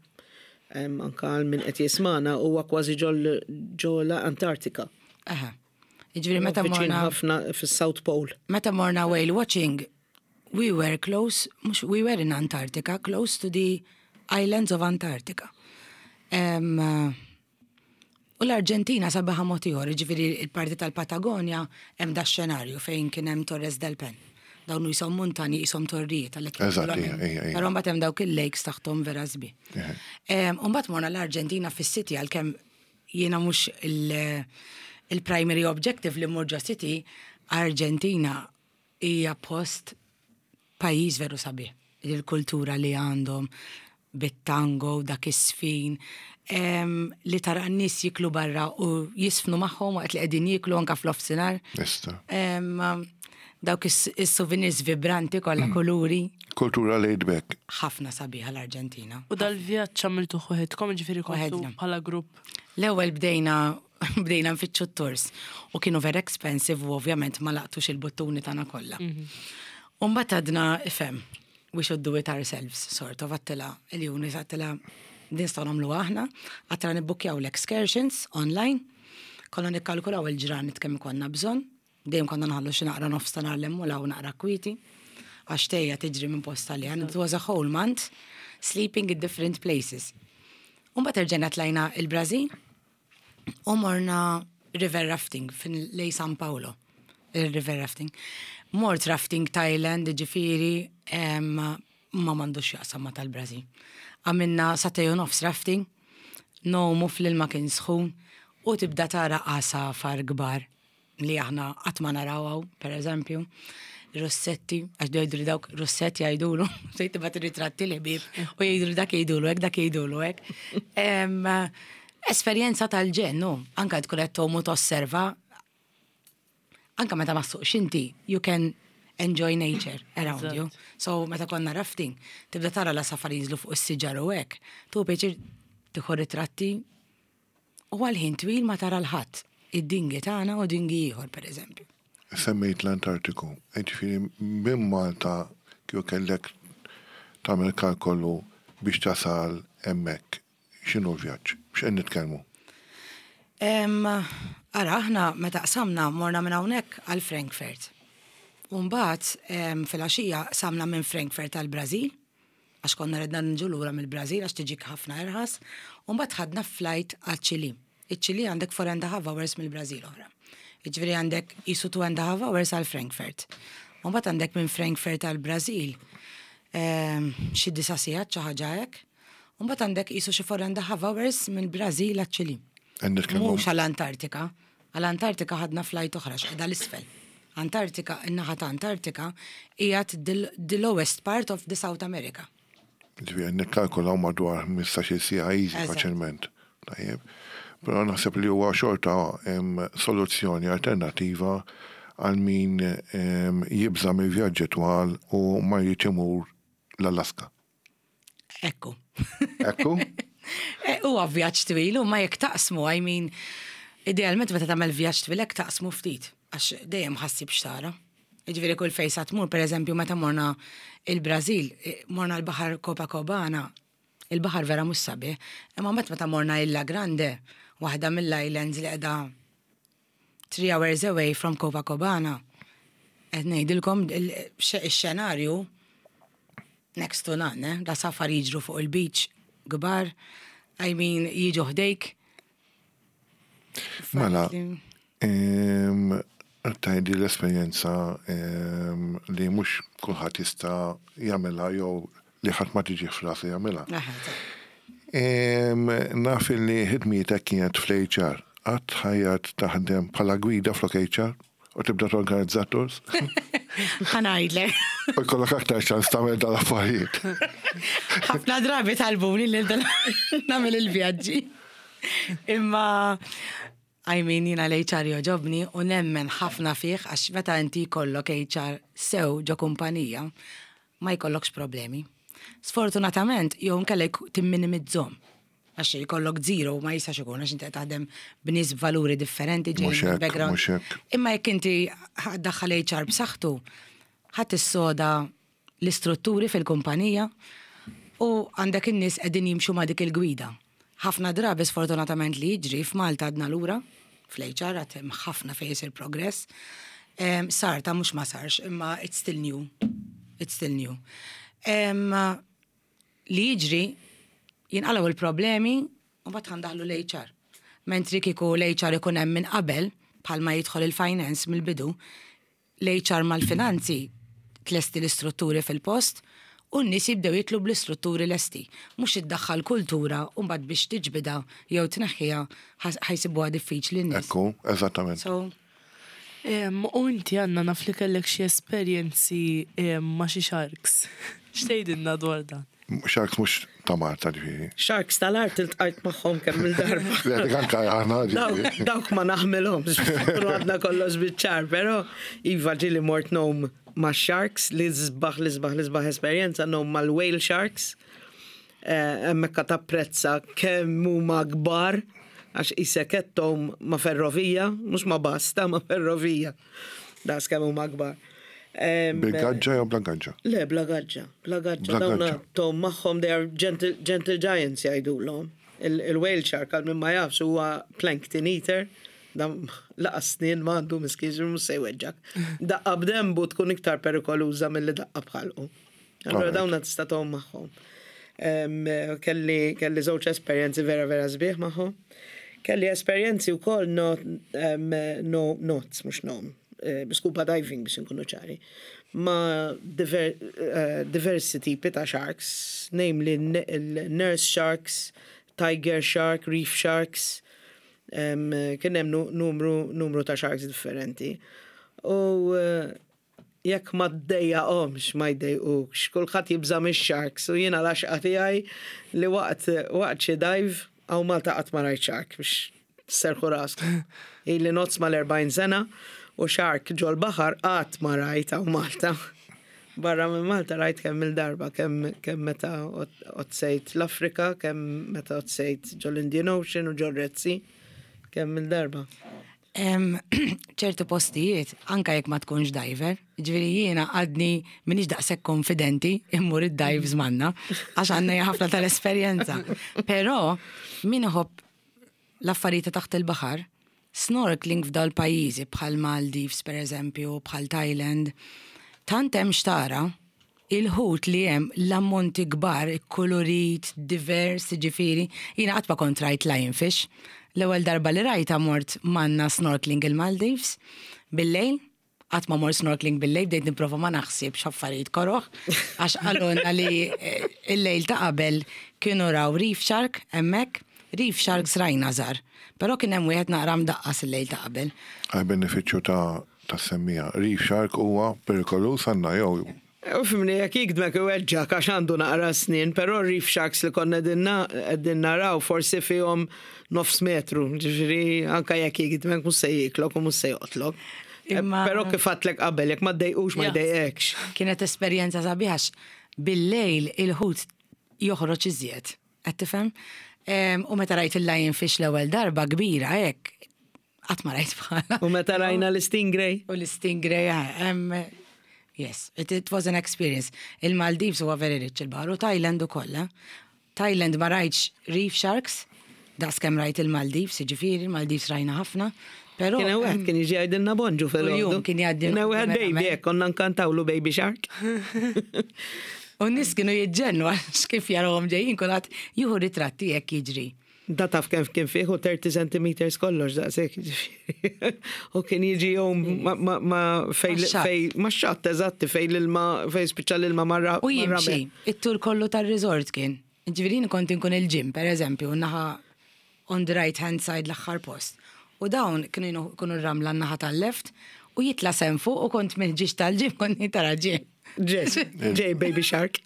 D: anka għal min qed jismana huwa kważi ġol l-Antartika.
C: Aha. Jiġifieri meta
D: morna ħafna fis-South Pole.
C: Meta morna whale watching, we were close, mhux we were in Antarctica, close to the islands of Antarctica. Um, u l-Arġentina sabiħa mod ieħor, jiġifieri il-parti tal-Patagonja hemm da xenarju fejn kien hemm Torres del Pen. Dawn jisom muntani jisom torrijiet għalhekk.
A: Eżatt,
C: Però mbagħad hemm dawk il-lakes taħthom vera sbi. U mbagħad morna l-Arġentina fis-city għalkemm jiena mhux il-primary objective li mmur ġo city, Arġentina hija post pajjiż veru sabiħ. Il-kultura li għandhom bit-tango, dak is-sfin, li tara n-nies jiklu barra u jisfnu magħhom waqt li qegħdin jiklu anka fl-offsinar. Dawk is-souvenirs vibranti kollha kuluri.
A: Kultura laid back.
C: Ħafna sabiħa l-Arġentina.
B: U dal-vjaġġ għamiltu waħedkom, ġifieri kontu bħala grupp?
C: L-ewwel bdejna bdejna nfittxu t-tours u kienu very expensive u ovvjament ma laqtux il-buttuni tagħna kollha. U mbagħad għadna ifhem, we should do it ourselves, sort of għedtilha il-Junis għedtilha din nistgħu nagħmlu aħna, għedtilha nibbukkjaw l-excursions online, konna nikkalkulaw il-ġranet kemm ikollna bżonn, dejjem konna nħallu xi naqra nofs ta' nhar l-hemm u 'l hawn naqra kwieti, għax tgħejja tiġri minn post għal ieħor. It was a whole month sleeping in different places. U mbagħad erġajna tlajna il-Brażil u morna river rafting fin lej San Paolo, il-river rafting. Mort rafting Thailand, ġifieri, ma m'għandux jaqsam ma tal-Brażil. Għamilna sagħtejn u nofs rafting, ngħumu fl-ilma kien sħun u tibda tara għasafar kbar li aħna qatt ma naraw hawn, per eżempju, rossetti, għax jgħidu li dawk rossetti jgħidulu, se tibgħat ritratti li ħbieb u jgħidu li dak jgħidulu hekk, dak jgħidulu hekk. Esperjenza tal-ġenn, no, anka tkun qed tgħum u tosserva, anka meta ma ssuqx inti, you can enjoy nature around you. So meta konna rafting, tibda tara l-għasafar jinżlu fuq is-siġar u hekk, tu pjaċir tieħu ritratti u għal ħin twil ma tara l-ħadd. Id-dingi tagħna u dingi ieħor pereżempju.
A: Semmejt l-Antartiku, ġifieri minn Malta kieku kellek tagħmel kalkolu biex tasal hemmhekk, x'inhu l-vjaġġ? X'qed nitkellmu?
C: Ara, aħna meta qsamna morna minn hawnhekk għal Frankfurt. U mbagħad filgħaxija qsamna minn Frankfurt għal Brażil, għax konna redna nġu lura mill-Brażil għax tiġik ħafna irħas, u mbagħad ħadna flight għal Ċili. Iċ-Ċili għandek 4 and a half hours mill-Brażil oħra. Jiġifieri għandek qisu 2 and a half hours għal Frankfurt. U mbagħad għandek minn Frankfurt għal Brażil xi disa' sigħat xi ħaġa hekk. U mbagħad għandek qisu xi 4 and a half hours mill-Brażil għaċ-Ċili. Mhux għall-Antartika. Għall-Antartika ħadna flight oħra x'qiegħda l-isfel. Antartika, in-naħa ta' Antartika qiegħed the lowest part of the South America.
A: Ġifieri nikkalkulaw madwar 15-il siegħa easy faċilment. Tajjeb. Però naħseb li huwa xorta soluzzjoni alternattiva għal min jibża' mill-vjaġġi twal u ma jridx imur l-Alaska.
C: Ekku.
A: Ekku?
C: Huwa vjaġġ twil u ma jekk taqsmu, I mean, idealment meta tagħmel vjaġġ twil hekk taqsmu ftit, għax dejjem ħassib x'tara. Jiġifieri kull fejn sa tmur, pereżempju meta morna il-Brażil, morna l-baħar Copacabana, il-baħar vera mhux sabiħ, imma mbagħad meta morna Ilha Grande, waħda mill-islands li qiegħda 3 hours away from Copacabana, qed ngħidilkom ix-xenarju next to none, eh? L-għasafar jiġru fuq il-beach kbar, I mean, jiġu ħdejk.
A: Mela, tajdi l-esperjenza li mhux kulħadd jista' jagħmilha jew li ħadd ma tiġi f'rasu jagħmilha. Naf li ħidmietek kienet fl-HR. Qatt ħajjat taħdem bħala gwida flok HR u tibda torganizza tours?
C: Ħa ngħidlek.
A: U jkollok aktar ċans tagħmel dal-affarijiet.
C: Ħafna drabi talbuni li nagħmel il-vjaġġi. Imma I mean jiena l-HR jogħġobni u nemmen ħafna fih għax meta inti jkollok HR sew ġo kumpanija ma jkollokx problemi. Sfortunatament jew inkella timminimizzhom. Għax jkollok zero ma jistax ikun għax inti qed taħdem b'nies b'valuri differenti ġejjin
A: Mhux
C: minn
A: hekk,
C: background.
A: mhux hekk.
C: Imma jekk inti ħa ddaħħal HR b'saħħtu, ħa tissoda l-istrutturi fil-kumpanija u għandek in-nies qegħdin jimxu ma' dik il-gwida. Ħafna drabi sfortunatament li jiġri f'Malta għadna lura fl-HR għad hemm ħafna fejn isir progress. Sar ta' mhux ma sarx, imma it's still new. It's still new. Li jiġri jinqalgħu il-problemi u mbagħad ħa ndaħħlu l-HR. Mentri kieku l-HR ikun hemm minn qabel, bħalma jidħol il-finance mill-bidu, l-HR mal-finanzi tlesti l-istrutturi fil-post u n-nies jibdew jitlu bl-istrutturi lesti. Mhux iddaħħal kultura u mbagħad biex tiġbidha jew tneħħiha ħa jsibuha diffiċli n-nies.
A: Ekku, eżattament.
C: So,
B: U inti Anna naf li kellek xi esperjenzi ma' xi sharks. X'tgħidilna dwar dan?
A: Sharks mhux ta' Malta ġifieri.
D: Sharks tal-art iltqajt magħhom kemm il-darba.
A: Le dik anke aħna ġifieri.
D: Dawk ma naħmilhomx, nkunu għadna kollox biċ-ċar, però iva ġieli mort ngħum ma' sharks li sbaħ li sbaħ li sbaħ esperjenza ngħum mal-whale sharks. Hemmhekk tapprezza kemm huma kbar għax qisek qed tgħum ma' ferrovija, mhux ma' basta, ma' ferrovija. Daqs kemm huma kbar.
A: Bil-gaġġa jew bla gaġġa?
D: Le, bla gaġġa, bla gaġġa.
A: Bla
D: Dawna
A: gaġġa.
D: tgħum magħhom, they are gentle, gentle giants jgħidulhom. Il-whale shark għal min ma jafx huwa plankton eater. Dan lanqas snien m'għandu miskin mhux se jweġġak. Daqqa b'denbu tkun iktar perikoluża milli daqqa b'ħalqu. Allora
A: Alright.
D: dawna tista' tgħum magħhom. Kelli, kelli żewġ esperjenzi vera vera sbieħ magħhom. Kelli esperjenzi wkoll no, no, not, mhux nom, scuba diving biex nkunu ċari, ma diversi tipi ta' sharks, namely il-nurse sharks, tiger shark, reef sharks, kien hemm numru, numru ta' sharks differenti. U jekk ma ddejjaqhomx ma jdejqukx, kulħadd jibża' mix-sharks u jiena l-għaxqa tiegħi li waqt xi dive hawn Malta qatt ma rajt shark biex serħu raskom. Ili ngħodd mal-40 sena u shark ġol-baħar qatt ma rajt hawn Malta. Barra minn Malta rajt kemm il-darba, kemm meta għodsejt l-Afrika, kemm meta għodsejt ġol-Indian Ocean u ġol Red Sea, kemm il-darba.
C: Ċertu postijiet, anka jekk ma tkunx diver, ġifieri jiena għadni minix daqshekk konfidenti immur id-dives manna, għax għandna ħafna tal-esperjenza. Però min iħobb l-affarijiet ta' taħt il-baħar, snorkeling f'dal pajjiżi bħal Maldives per eżempju, bħal Thailand, tant hemm xtara il-ħut li hemm l-ammonti kbar, kolorit, divers, ġifieri, jiena qatt ma kont rajt lionfish. L-ewwel darba li rajta mort manna snorkeling il-Maldives bil-lejl, qatt ma mort snorkeling bil-lejl, bdejt nipprova ma naħsibx affarijiet koroħ, għax qalulna li il-lejl ta' qabel kienu raw reef shark hemmhekk, reef sharks rajna żgħar, però kien hemm wieħed naqra mdaqqas il-lejl ta' qabel.
A: Għal benefiċċju ta' semmija. Reef shark huwa perikoluż għandna jew
D: U fimni, jekk jigdmek iweġġak għax għandu naqra snin, però reef sharks li konna qegħdin naraw forsi fihom nofs metru, ġifieri anka jekk jigdmek mhux se jieklok u mhux se joqtlok.
C: Imma
D: Però kif għedtlek qabel, jekk ma ddejqux ma jdejqekx.
C: Kienet esperjenza sabiħa għax bil-lejl il-ħut joħroġ iżjed. Qed tifhem? U meta rajt il-lionfish l-ewwel darba kbira hekk, qatt ma rajt bħala.
D: U meta rajna l-stingray.
C: U l-stingray, yes, it was an experience. Il-Maldives huwa very rich il-baħar u Thailand ukoll. Eh? Thailand ma rajtx reef sharks, daqs kemm rajt il-Maldives, jiġifieri, il-Maldives rajna ħafna. Però
D: Kien hemm wieħed kien jiġi jgħidilna bonġu fil-għodu.
C: Kuljum kien jgħaddi
D: Kien hemm wieħed baby,
C: verament.
D: hekk konna nkantawlu baby shark.
C: U n-nies kienu jiġġennu għax kif jarawhom ġejjin kulħadd jieħu ritratti hekk jiġri.
D: Da taf kemm kien fih u 30 centimeters kollox daqshekk jiġifieri. U kien jiġi jom ma fej
C: Max-xatt.
D: fej max-xatt eżatti fej l-ilma fej spiċċa l-ilma marra.
C: U jimxi, it-tur kollu tar-resort kien. Ġifieri kont inkun il-gym, per eżempju, naħa on the right hand side l-aħħar post. U dawn kienu kunu r-ramla n-naħa tal-left u jitla' s'hemm fuq u kont mill-ġiex tal-gym kont nitara gym.
D: Ġej, ġej baby shark.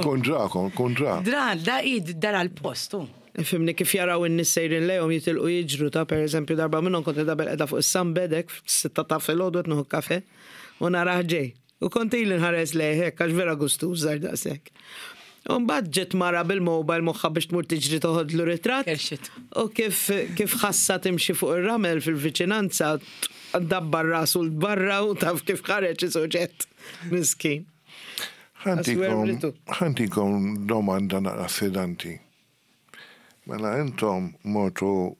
A: Kun dra, kun dra.
C: Dra, da id dara l-postu.
D: Ifhimni kif jaraw in-nies sejrin lejhom jitilqu jiġru ta' per eżempju darba minnhom kont qiegħda bilqiegħda fuq is-sunbed hekk fis-sitta ta' filgħodu qed nieħu kafè u narah ġej. U kont ili nħares lejh hekk għax vera gustuż żgħir daqshekk. U mbagħad ġiet mara bil-mobile moħħha biex tmur tiġri toħodlu ritratt.
C: Kerxit.
D: U kif kif ħassha timxi fuq ir-ramel fil-viċinanza dabbar rasu 'l barra u taf kif ħareġ isuġett. Miskin.
A: Ħa ntikom domanda naqra sfidanti. Mela intom mortu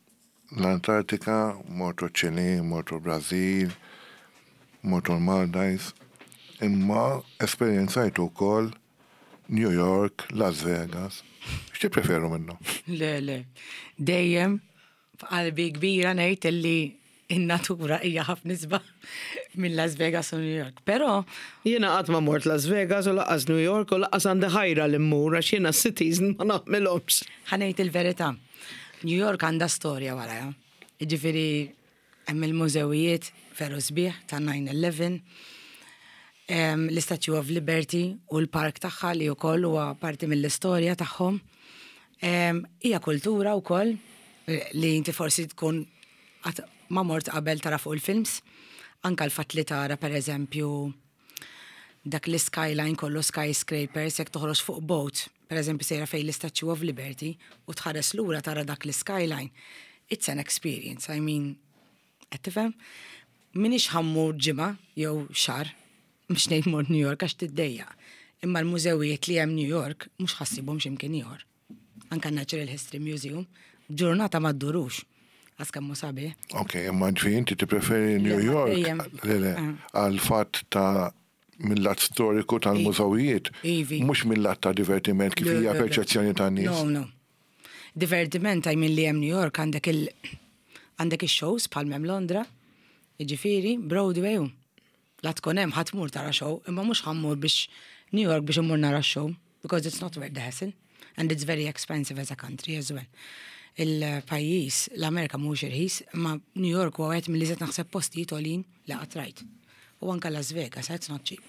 A: l-Antartika, mortu ċ-Ċilì, mortu l-Brażil, mortu l-Maldives, imma esperjenzajtu wkoll New York, Las Vegas. X'tippreferu minnhom?
C: Le, le. Dejjem f'qalbi kbira ngħid illi in-natura hija ħafna isbaħ minn Las Vegas u New York. Però
D: Jiena qatt ma mort Las Vegas u lanqas New York u lanqas għandi ħajra li mmur għax jiena s-cities ma naħmilhomx.
C: Ħa ngħid il-verità. New York għandha storja warajha. Jiġifieri hemm il-mużewijiet veru sbieħ ta' 9/11, l-Statue of Liberty u l-park tagħha li wkoll huwa parti mill-istorja tagħhom. Hija kultura wkoll li inti forsi tkun qatt ma mort qabel tara fuq il-films. Anka l-fatt li tara pereżempju dak l-skyline kollu skyscrapers jekk toħroġ fuq boat, pereżempju sejra fejn l-Statue of Liberty u tħares lura tara dak l-skyline. It's an experience, I mean, qed tifhem? M'iniex ħa mmur ġimgħa jew xahar biex ngħid mort New York għax tiddejjaq. Imma l-mużewijiet li hemm New York mhux ħa ssibhom x'imkien ieħor. Anka Natural History Museum, ġurnata ma ddurux. Għas kemm hu sabiħ.
A: Ok, imma ġifieri inti tippreferi New York le le għal fatt ta' mill-lat storiku tal-mużewijiet, mhux mill-lat ta' divertiment kif hija perċezzjoni tan-nies.
C: No, no. Divertiment I mean li hemm New York għandek il għandek ix-shows bħal m'hemm Londra, jiġifieri Broadway u la tkun hemm ħa tmur tara show, imma mhux ħa mmur biex New York biex immur nara show because it's not worth the hassle and it's very expensive as a country as well. Il-pajjiż, l-Amerika mhuwiex irħis, imma New York huwa wieħed mill-iżjed naħseb postijiet għoljin li qatt rajt. U anke Las Vegas, it's not cheap.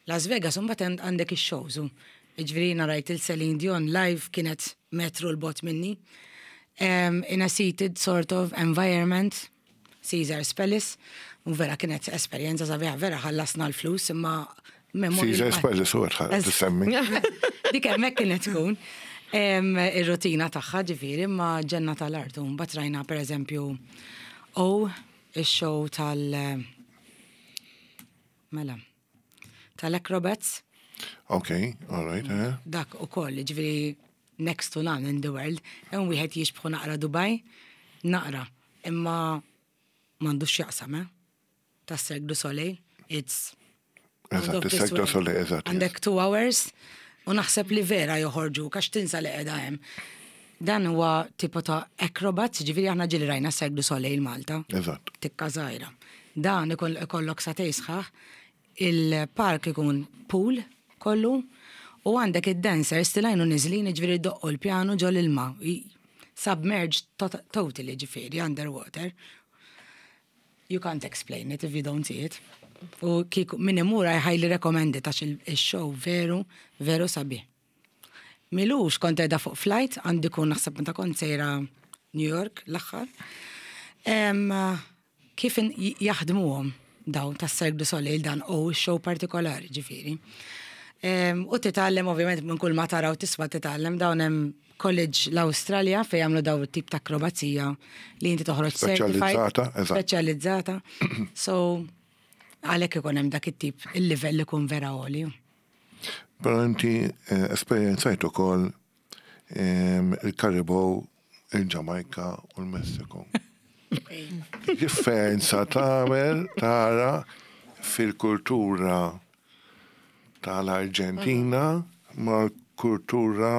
C: Las Vegas imbagħad għandek ix-shows u jiġifieri jiena rajt il Celine Dion live kienet metru 'l bogħod minni. In a seated sort of environment Caesar's Palace, u vera kienet esperjenza sabiħa, vera ħallasna l-flus imma
A: memorja. Caesar's Palace u qed tissemmi.
C: Dik hemmhekk kienet tkun ir-rutina tagħha ġifieri imma ġenna tal-art u mbagħad rajna pereżempju O ix-show tal mela tal-acrobats.
A: Ok, all right. Eh.
C: Dak ukoll, ġifieri next to none in the world, hemm wieħed jixbħu naqra Dubai, naqra, imma m'għandux x'jaqsam, eh? Ta' Cirque du Soleil, it's
A: Eżatt, Cirque du Soleil, eżatt.
C: Għandek two hours u naħseb li vera joħorġu għax tinsa li qiegħda hemm. Dan huwa tipo ta' acrobats, ġifieri aħna ġieli rajna Cirque du Soleil Malta.
A: Eżatt.
C: Tikka żgħira. Dan ikollok sagħtejn sħaħ Il-park ikun pool kollu u għandek id-dancers tilgħin u niżlin jiġifieri jdoqqu l-pjanu ġo l-ilma. Submerged totally ġifieri underwater. You can't explain it if you don't see it. U kieku min imur I highly recommend it għax il-show veru, veru sabiħ. M'ilux kont qiegħda fuq flight għandi kun naħseb meta kont sejra New York l-aħħar. Kif jaħdmuhom dawn tas-Cirque du Soleil dan u x-show partikolari ġifieri. U titgħallem ovvjament minn kull ma tara u tisma' titgħallem dawn hemm college l-Awstralja fejn jagħmlu daw it-tip ta' akrobazija li inti toħroġ
A: Speċjalizzata,
C: eżatt. Speċjalizzata. So għalhekk ikun hemm dak it-tip il-livell ikun vera għoli.
A: Però inti eh, esperjenzajt ukoll ehm, il-Karibow, il-Ġamajka u l-Messiku. Differenza tagħmel tara fil-kultura tal-Arġentina mal-kultura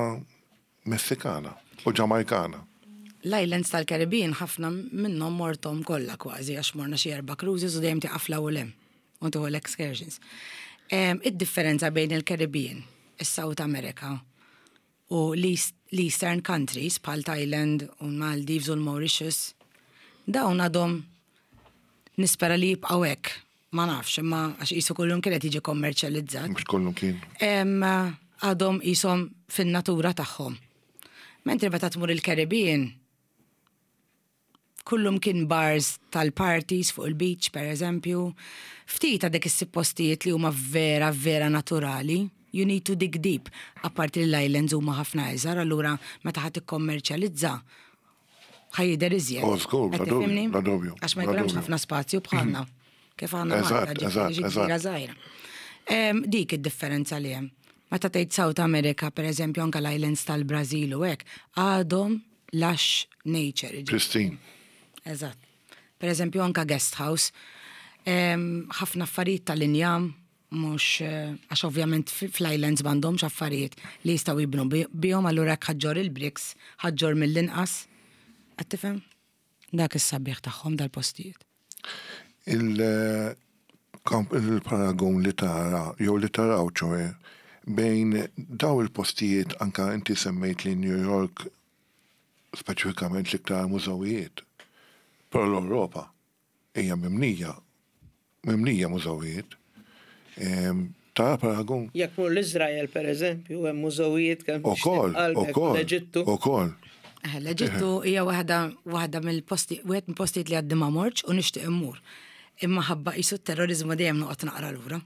A: Messikana u Ġamajkana.
C: L-islands tal-Caribbean ħafna minnhom morthom kollha kważi għax morna xi erba' cruises u dejjem tieqaf 'l hawn u 'l hemm u tieħu l-excursions. Id-differenza bejn il-Caribbean, is-South America u l-Eastern countries bħal Thailand u l-Maldives u l-Mauritius, dawn għadhom nispera li jibqgħu hekk. Ma nafx, imma għax qisu kullum kien qed jiġi kommerċjalizzat.
A: Mhux kullum kien.
C: Għadhom qishom fin-natura tagħhom. Mentri meta tmur il-Caribbean, kullum kien bars tal-parties fuq il-beach, per eżempju. Ftit għadek issib postijiet li huma vera, vera naturali. You need to dig deep. Apparti li l-islands huma ħafna iżgħar, allura meta ħa tikkommerċjalizza, ħa jidher iżjed.
A: Oh, żgur, bla dubju, bla dubju.
C: Għax ma jkollhomx ħafna spazju bħalna. Kif għandna Malta, ġifieri gżira żgħira. Dik id-differenza li hemm. Meta tgħid South America, per eżempju, anke l-islands tal-Brażil u hekk, għadhom lush nature.
A: Pristine.
C: Eżatt. Per eżempju, anke guest house, ħafna affarijiet tal-injam, Mhux għax ovvjament fl-islands m'għandhomx affarijiet li jistgħu jibnu bihom allura jekk ħa ġġorr il-bricks ħa ġġorr mill-inqas. Qed tifhem? Dak is-sabiħ tagħhom dal-postijiet.
A: Il-paragun li tara jew li taraw ċoe bejn daw il-postijiet anka inti semmejt li New York speċifikament l-iktar mużewijiet. Però l-Ewropa hija mimlija, mimlija mużewijiet. Tara paragun?
D: Jekk tmur l-Iżrael, per eżempju, hemm mużewijiet kemm
A: Ukoll, ukoll,
D: l-Eġittu.
A: Ukoll.
C: L-Eġittu hija waħda waħda mill-posti, wieħed mill-postijiet li għaddi ma mortx u nixtieq immur. Imma ħabba qisu t-terroriżmu dejjem noqgħod naqra lura.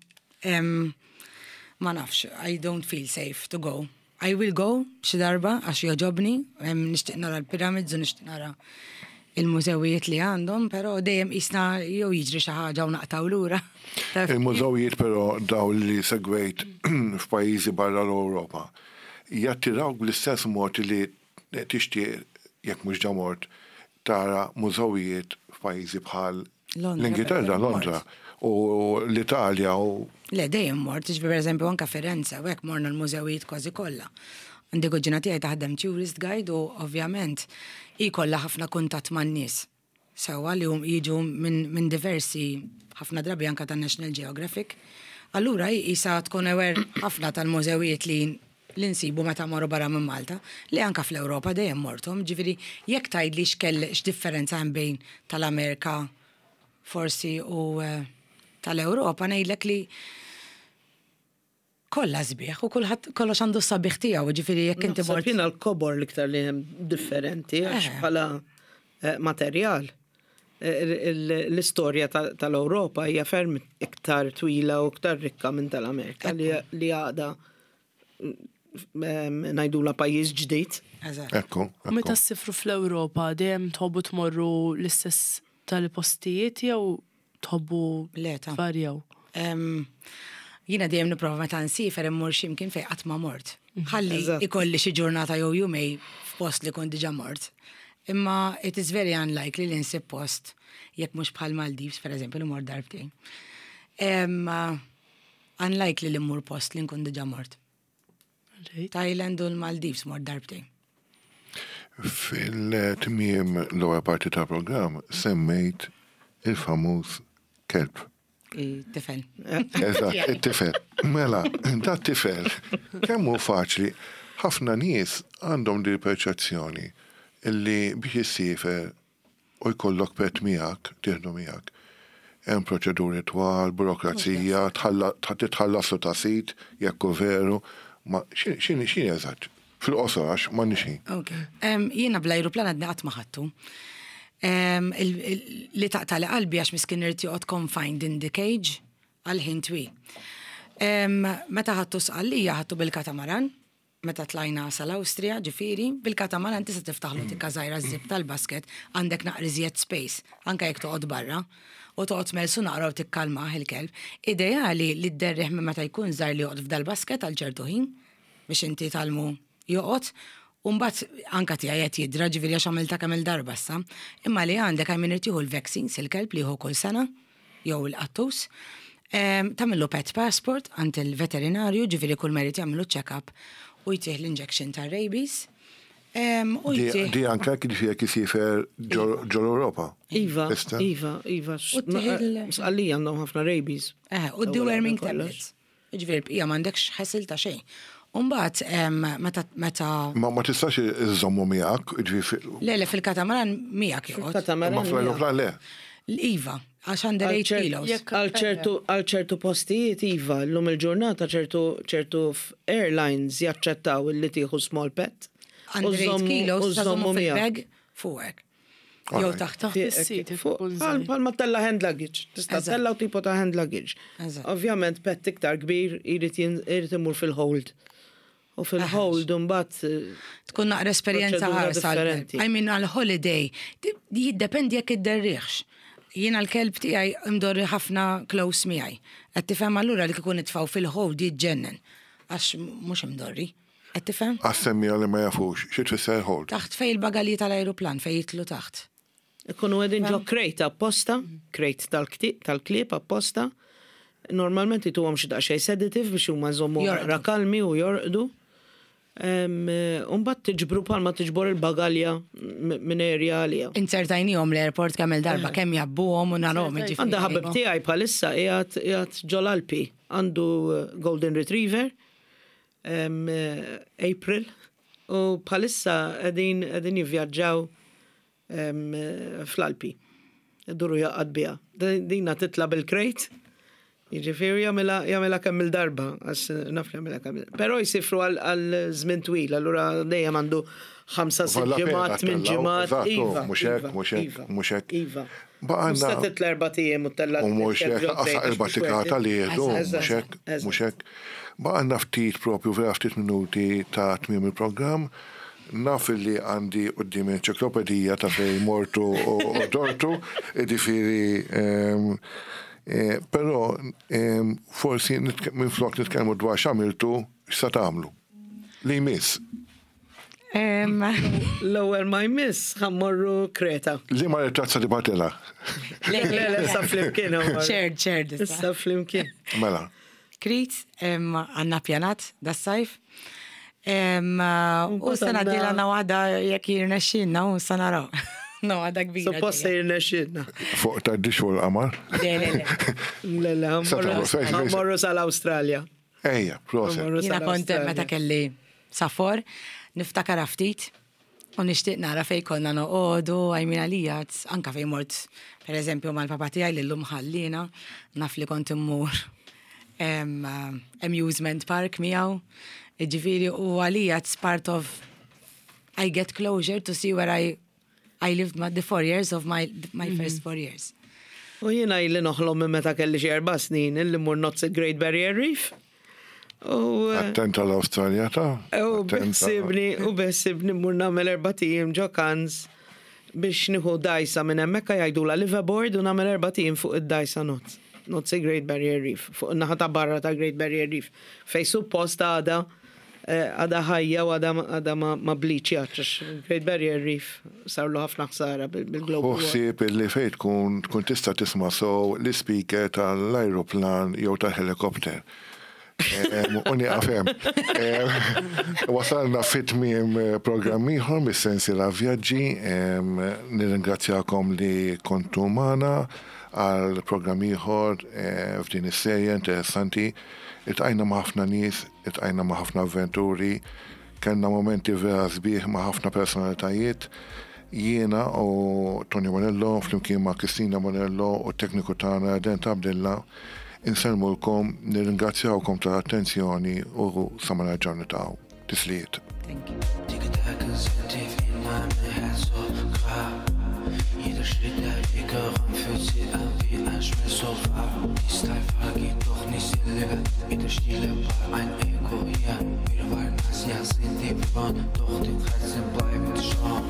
C: Ma nafx, I don't feel safe to go. I will go xi darba għax jogħġobni, nixtieq nara l-pyramids u nixtieq nara il-mużewijiet li għandhom, però dejjem qisna jew jiġri xi ħaġa u naqtgħu lura.
A: Il-mużewijiet però dawn li segwejt f'pajjiżi barra l-Ewropa, jattirawk bl-istess mod li tixtieq, jekk mhux ġa mort, tara mużewijiet f'pajjiżi bħal L-Ingilterra, Londra, u l-Italja u.
C: Le, dejjem mort, jiġifieri pereżempju anke Firenze u hekk morna l-mużewijiet kważi kollha. Għandi kuġina tiegħi taħdem tourist guide u ovvjament hi jkollha ħafna kuntatt man-nies. Sewwa li jiġu minn diversi ħafna drabi anke tan-National Geographic. Allura hi qisha tkun aware ħafna tal-mużewijiet li li nsibu meta mmorru barra minn Malta, li anke fl-Ewropa dejjem morthom, ġifieri jekk tgħidli x'kell x'differenza hemm bejn tal-Amerika forsi u tal-Ewropa ngħidlek li kollha sbieħ u kulħadd kollox għandu s-sabiħ tiegħu, ġifieri jekk inti
D: mort. Jiena l-kobor l-iktar li hemm differenti għax bħala materjal l-istorja tal-Ewropa hija ferm iktar twila u iktar rikka minn tal-Amerika li għadha ngħidulha pajjiż ġdid.
A: Ekku.
B: U meta ssifru fl-Ewropa dejjem tħobbu tmorru l-istess tal-postijiet jew tħobbu tvarjaw?
C: Jiena dejjem nipprova meta nsiefer immur xi mkien fejn qatt ma mort. Ħalli ikolli xi ġurnata jew jumej f'post li kont diġà mort. Imma it is very unlikely li nsib post jekk mhux bħal Maldives pereżempju li mort darbtejn. Unlikely li mmur post li nkun diġà mort. Thailand u l-Maldives mort darbtejn.
A: Fil-tmiem l-ewwel parti tal-programm semmejt il-famuż kelb.
C: It-tifel.
A: Eżatt, it-tifel. Mela, dat tifel, kemm hu faċli, ħafna nies għandhom din il-perċezzjoni illi biex issiefer u jkollok pet miegħek, tieħdu miegħek. Hemm proċeduri twal, burokrazija, titħallaslu ta' sid jekk hu veru, ma x'inhi eżatt? Fil-qosor għax m'għandniex ħin.
C: Ok. Jiena bl-ajruplan għadni qatt ma ħadtu. Li taqtagħli qalbi għax miskin irid joqgħod confined in the cage għal ħin twil. Meta ħadtu Sqallija ħadtu bil-katamaran, meta tlajna sal-Awstrija, ġifieri, bil-katamaran tista' tiftaħlu tikka żgħira ż-zip tal-basket, għandek naqra iżjed space, anke jekk toqgħod barra, u toqgħod tmellsu naqra u tikkalmah il-kelb. Ideali li dderrih minn meta jkun żgħir li joqgħod f'dal-basket għal ċertu ħin, biex inti tgħallmu joqgħod, u mbagħad anke tiegħi qed jidra, ġifieri għax għamiltha kemm-il darba issa. Imma li għandek għal min irid jieħu l-vaccines il-kelb li jieħu kull sena, jew il-qattus, tagħmillu pet passport għand il-veterinarju, ġifieri kull ma jrid jagħmillu check-up u jtih l-injection tar-rabies. U jtih.
A: Di anke ġifieri jekk isiefer ġol-Ewropa.
D: Iva, iva, iva. Sqallija għandhom ħafna rabies.
C: Eh, u deworming tablets. Jiġifieri l-bqija m'għandekx ħasil ta' xejn. U mbagħad meta meta.
A: Ma ma tistax iżżommu miegħek, jiġifieri.
C: Le, le, fil-katamaran miegħek joqgħod.
D: Fil-katamaran.
A: Imma fl-ajruplan le.
C: Iva. Għax under 8 kilos.
D: Għal ċertu għal ċertu postijiet iva, llum il-ġurnata ċertu ċertu airlines jaċċettaw illi tieħu small pet.
C: Under 8 kilos ta' żommu fil-bag fuqek. Jew taħt.
B: Taħt is-seat ikun żgħir.
D: Bħal ma tella hand luggage. Tista' tella u tipo ta' hand luggage. Ovvjament pet iktar kbir irid imur fil-hold. U fil-hold imbagħad.
C: Tkun naqra esperjenza ħarsa. I mean għal holiday. Jiddependi jekk idderriħx. Jiena l-kelb tiegħi imdorri ħafna close miegħi. Qed tifhem allura li kieku nitfgħu fil-hold jiġġennen. Għax mhux imdorri. Qed tifhem?
A: Għas-semmiegħa li ma jafux, xi tfisser hold?
C: Taħt fejn il-bagalji tal-ajruplan fejn jidħlu taħt.
D: Ikunu qegħdin ġo crate apposta, crate tal-klieb apposta. Normalment jtuhom xi daqsxejn sedative biex huma jżommuhom naqra kalmi u jorqdu. U mbagħad tiġbru bħalma tiġbor il-bagalja minn area għaliha.
C: Inzertajnihom l-airport kemm-il darba kemm jgħabbuhom u narahom jiġifieri.
D: Għandi ħabib tiegħi bħalissa qiegħed qiegħed ġol-Alpi, għandu golden retriever, April, u bħalissa qegħdin qegħdin jivvjaġġaw fl-Alpi. Iduru jgħaqqad biha. Dina titla' bil-crate, jiġifieri jagħmilha jagħmilha kemm il-darba, għax naf li jagħmilha kemm Però jsifru għal żmien twil, allura dejjem għandu ħamsa sitt ġimgħat, tmien ġimgħat.
A: Iva, mhux hekk, mhux hekk, mhux hekk.
D: Iva. Baqgħna. Tista' titla' erbat ijiem u ttella'
A: U mhux hekk, lanqas erba' tikata li jieħdu, mhux hekk, mhux hekk. Baqgħalna ftit propju vera ftit minuti ta' tmiem il-programm. Naf illi għandi quddiemi enċiklopedija ta' fejn mortu u dortu, jiġifieri però forsi minflok nitkellmu dwar x'għamiltu, x'sa tagħmlu. Li jmiss.
D: L-ewwel ma jmiss ħa mmorru Kreta.
A: Liema ritratt sa tibgħatilha?
D: Le, le, issa flimkien.
C: Shared, shared.
D: Issa flimkien.
A: Mela.
C: Krit, għandna pjanat das-sajf. U sena d-dieħla għandna waħda jekk jirnexxielna u sa naraw. No, għadha kbira.
D: Suppost se jirnexxielna.
A: Fuq tgħaddix fuq il-qamar?
C: Le, le, le.
D: Le, le, ħa mmorru sal-Awstralja.
A: Ejja, proset.
C: Jiena kont meta kelli safor, niftakar ftit u nixtieq nara fejn konna noqogħdu, I mean għalija, anka fejn mort, per eżempju, mal-papa tiegħi li llum ħallina, naf li kont immur amusement park miegħu. Jiġifieri u għalija it's part of I get closure to see where I lived my, the 4 years of my first 4 years.
D: U jiena ili noħlom minn meta kelli xi 4 snin illi mmur nozz il-Great Barrier Reef. U
A: Attenta l-Awstralja ta'
D: U
A: attenta.
D: beħsibni mmur nagħmel 4 ijiem ġo Cairns biex nieħu dgħajsa minn hemmhekk jgħidula liveaboard u nagħmel 4 ijiem fuq id-dgħajsa nozz. Nozz il-Great Barrier Reef, fuq in-naħa ta' barra ta' Great Barrier Reef. Fej suppost għada għada ħajja u għada ma bleachjatx, għax Great Barrier Reef sarlu ħafna ħsara bil-global warming.
A: Ħsieb illi fej tkun tista' tisma' sew l-speaker tal-ajruplan jew tal-helikopter. U nieqaf hemm. Wasalna fit tmiem programm ieħor mis-sensiela Vjaġġi. Nirringrazzjakom li kontu magħna għal programm ieħor f'din is-serje interessanti. Iltqajna ma' ħafna nies, iltqajna ma' ħafna avventuri, kellna momenti vera sbieħ ma' ħafna personalitajiet. Jiena u Tony Bonello flimkien ma' Kristina Bonello u t-tekniku tagħna Dent Abdilla insellmulkom, nirringrazzjawkom tal-attenzjoni u sa ma nerġgħu niltaqgħu. Tislijiet.
C: Thank you.
E: Die Gedanken sind tief in meinem Herz so grab. Jeder Schritt, der wir geräumt, fühlt sich an wie ein Schmerz so wahr. Die Style geht doch nicht Leben. In der Stille war ein Echo hier. Wir waren das Jahr sind die Front, doch die Grenzen bleiben schon.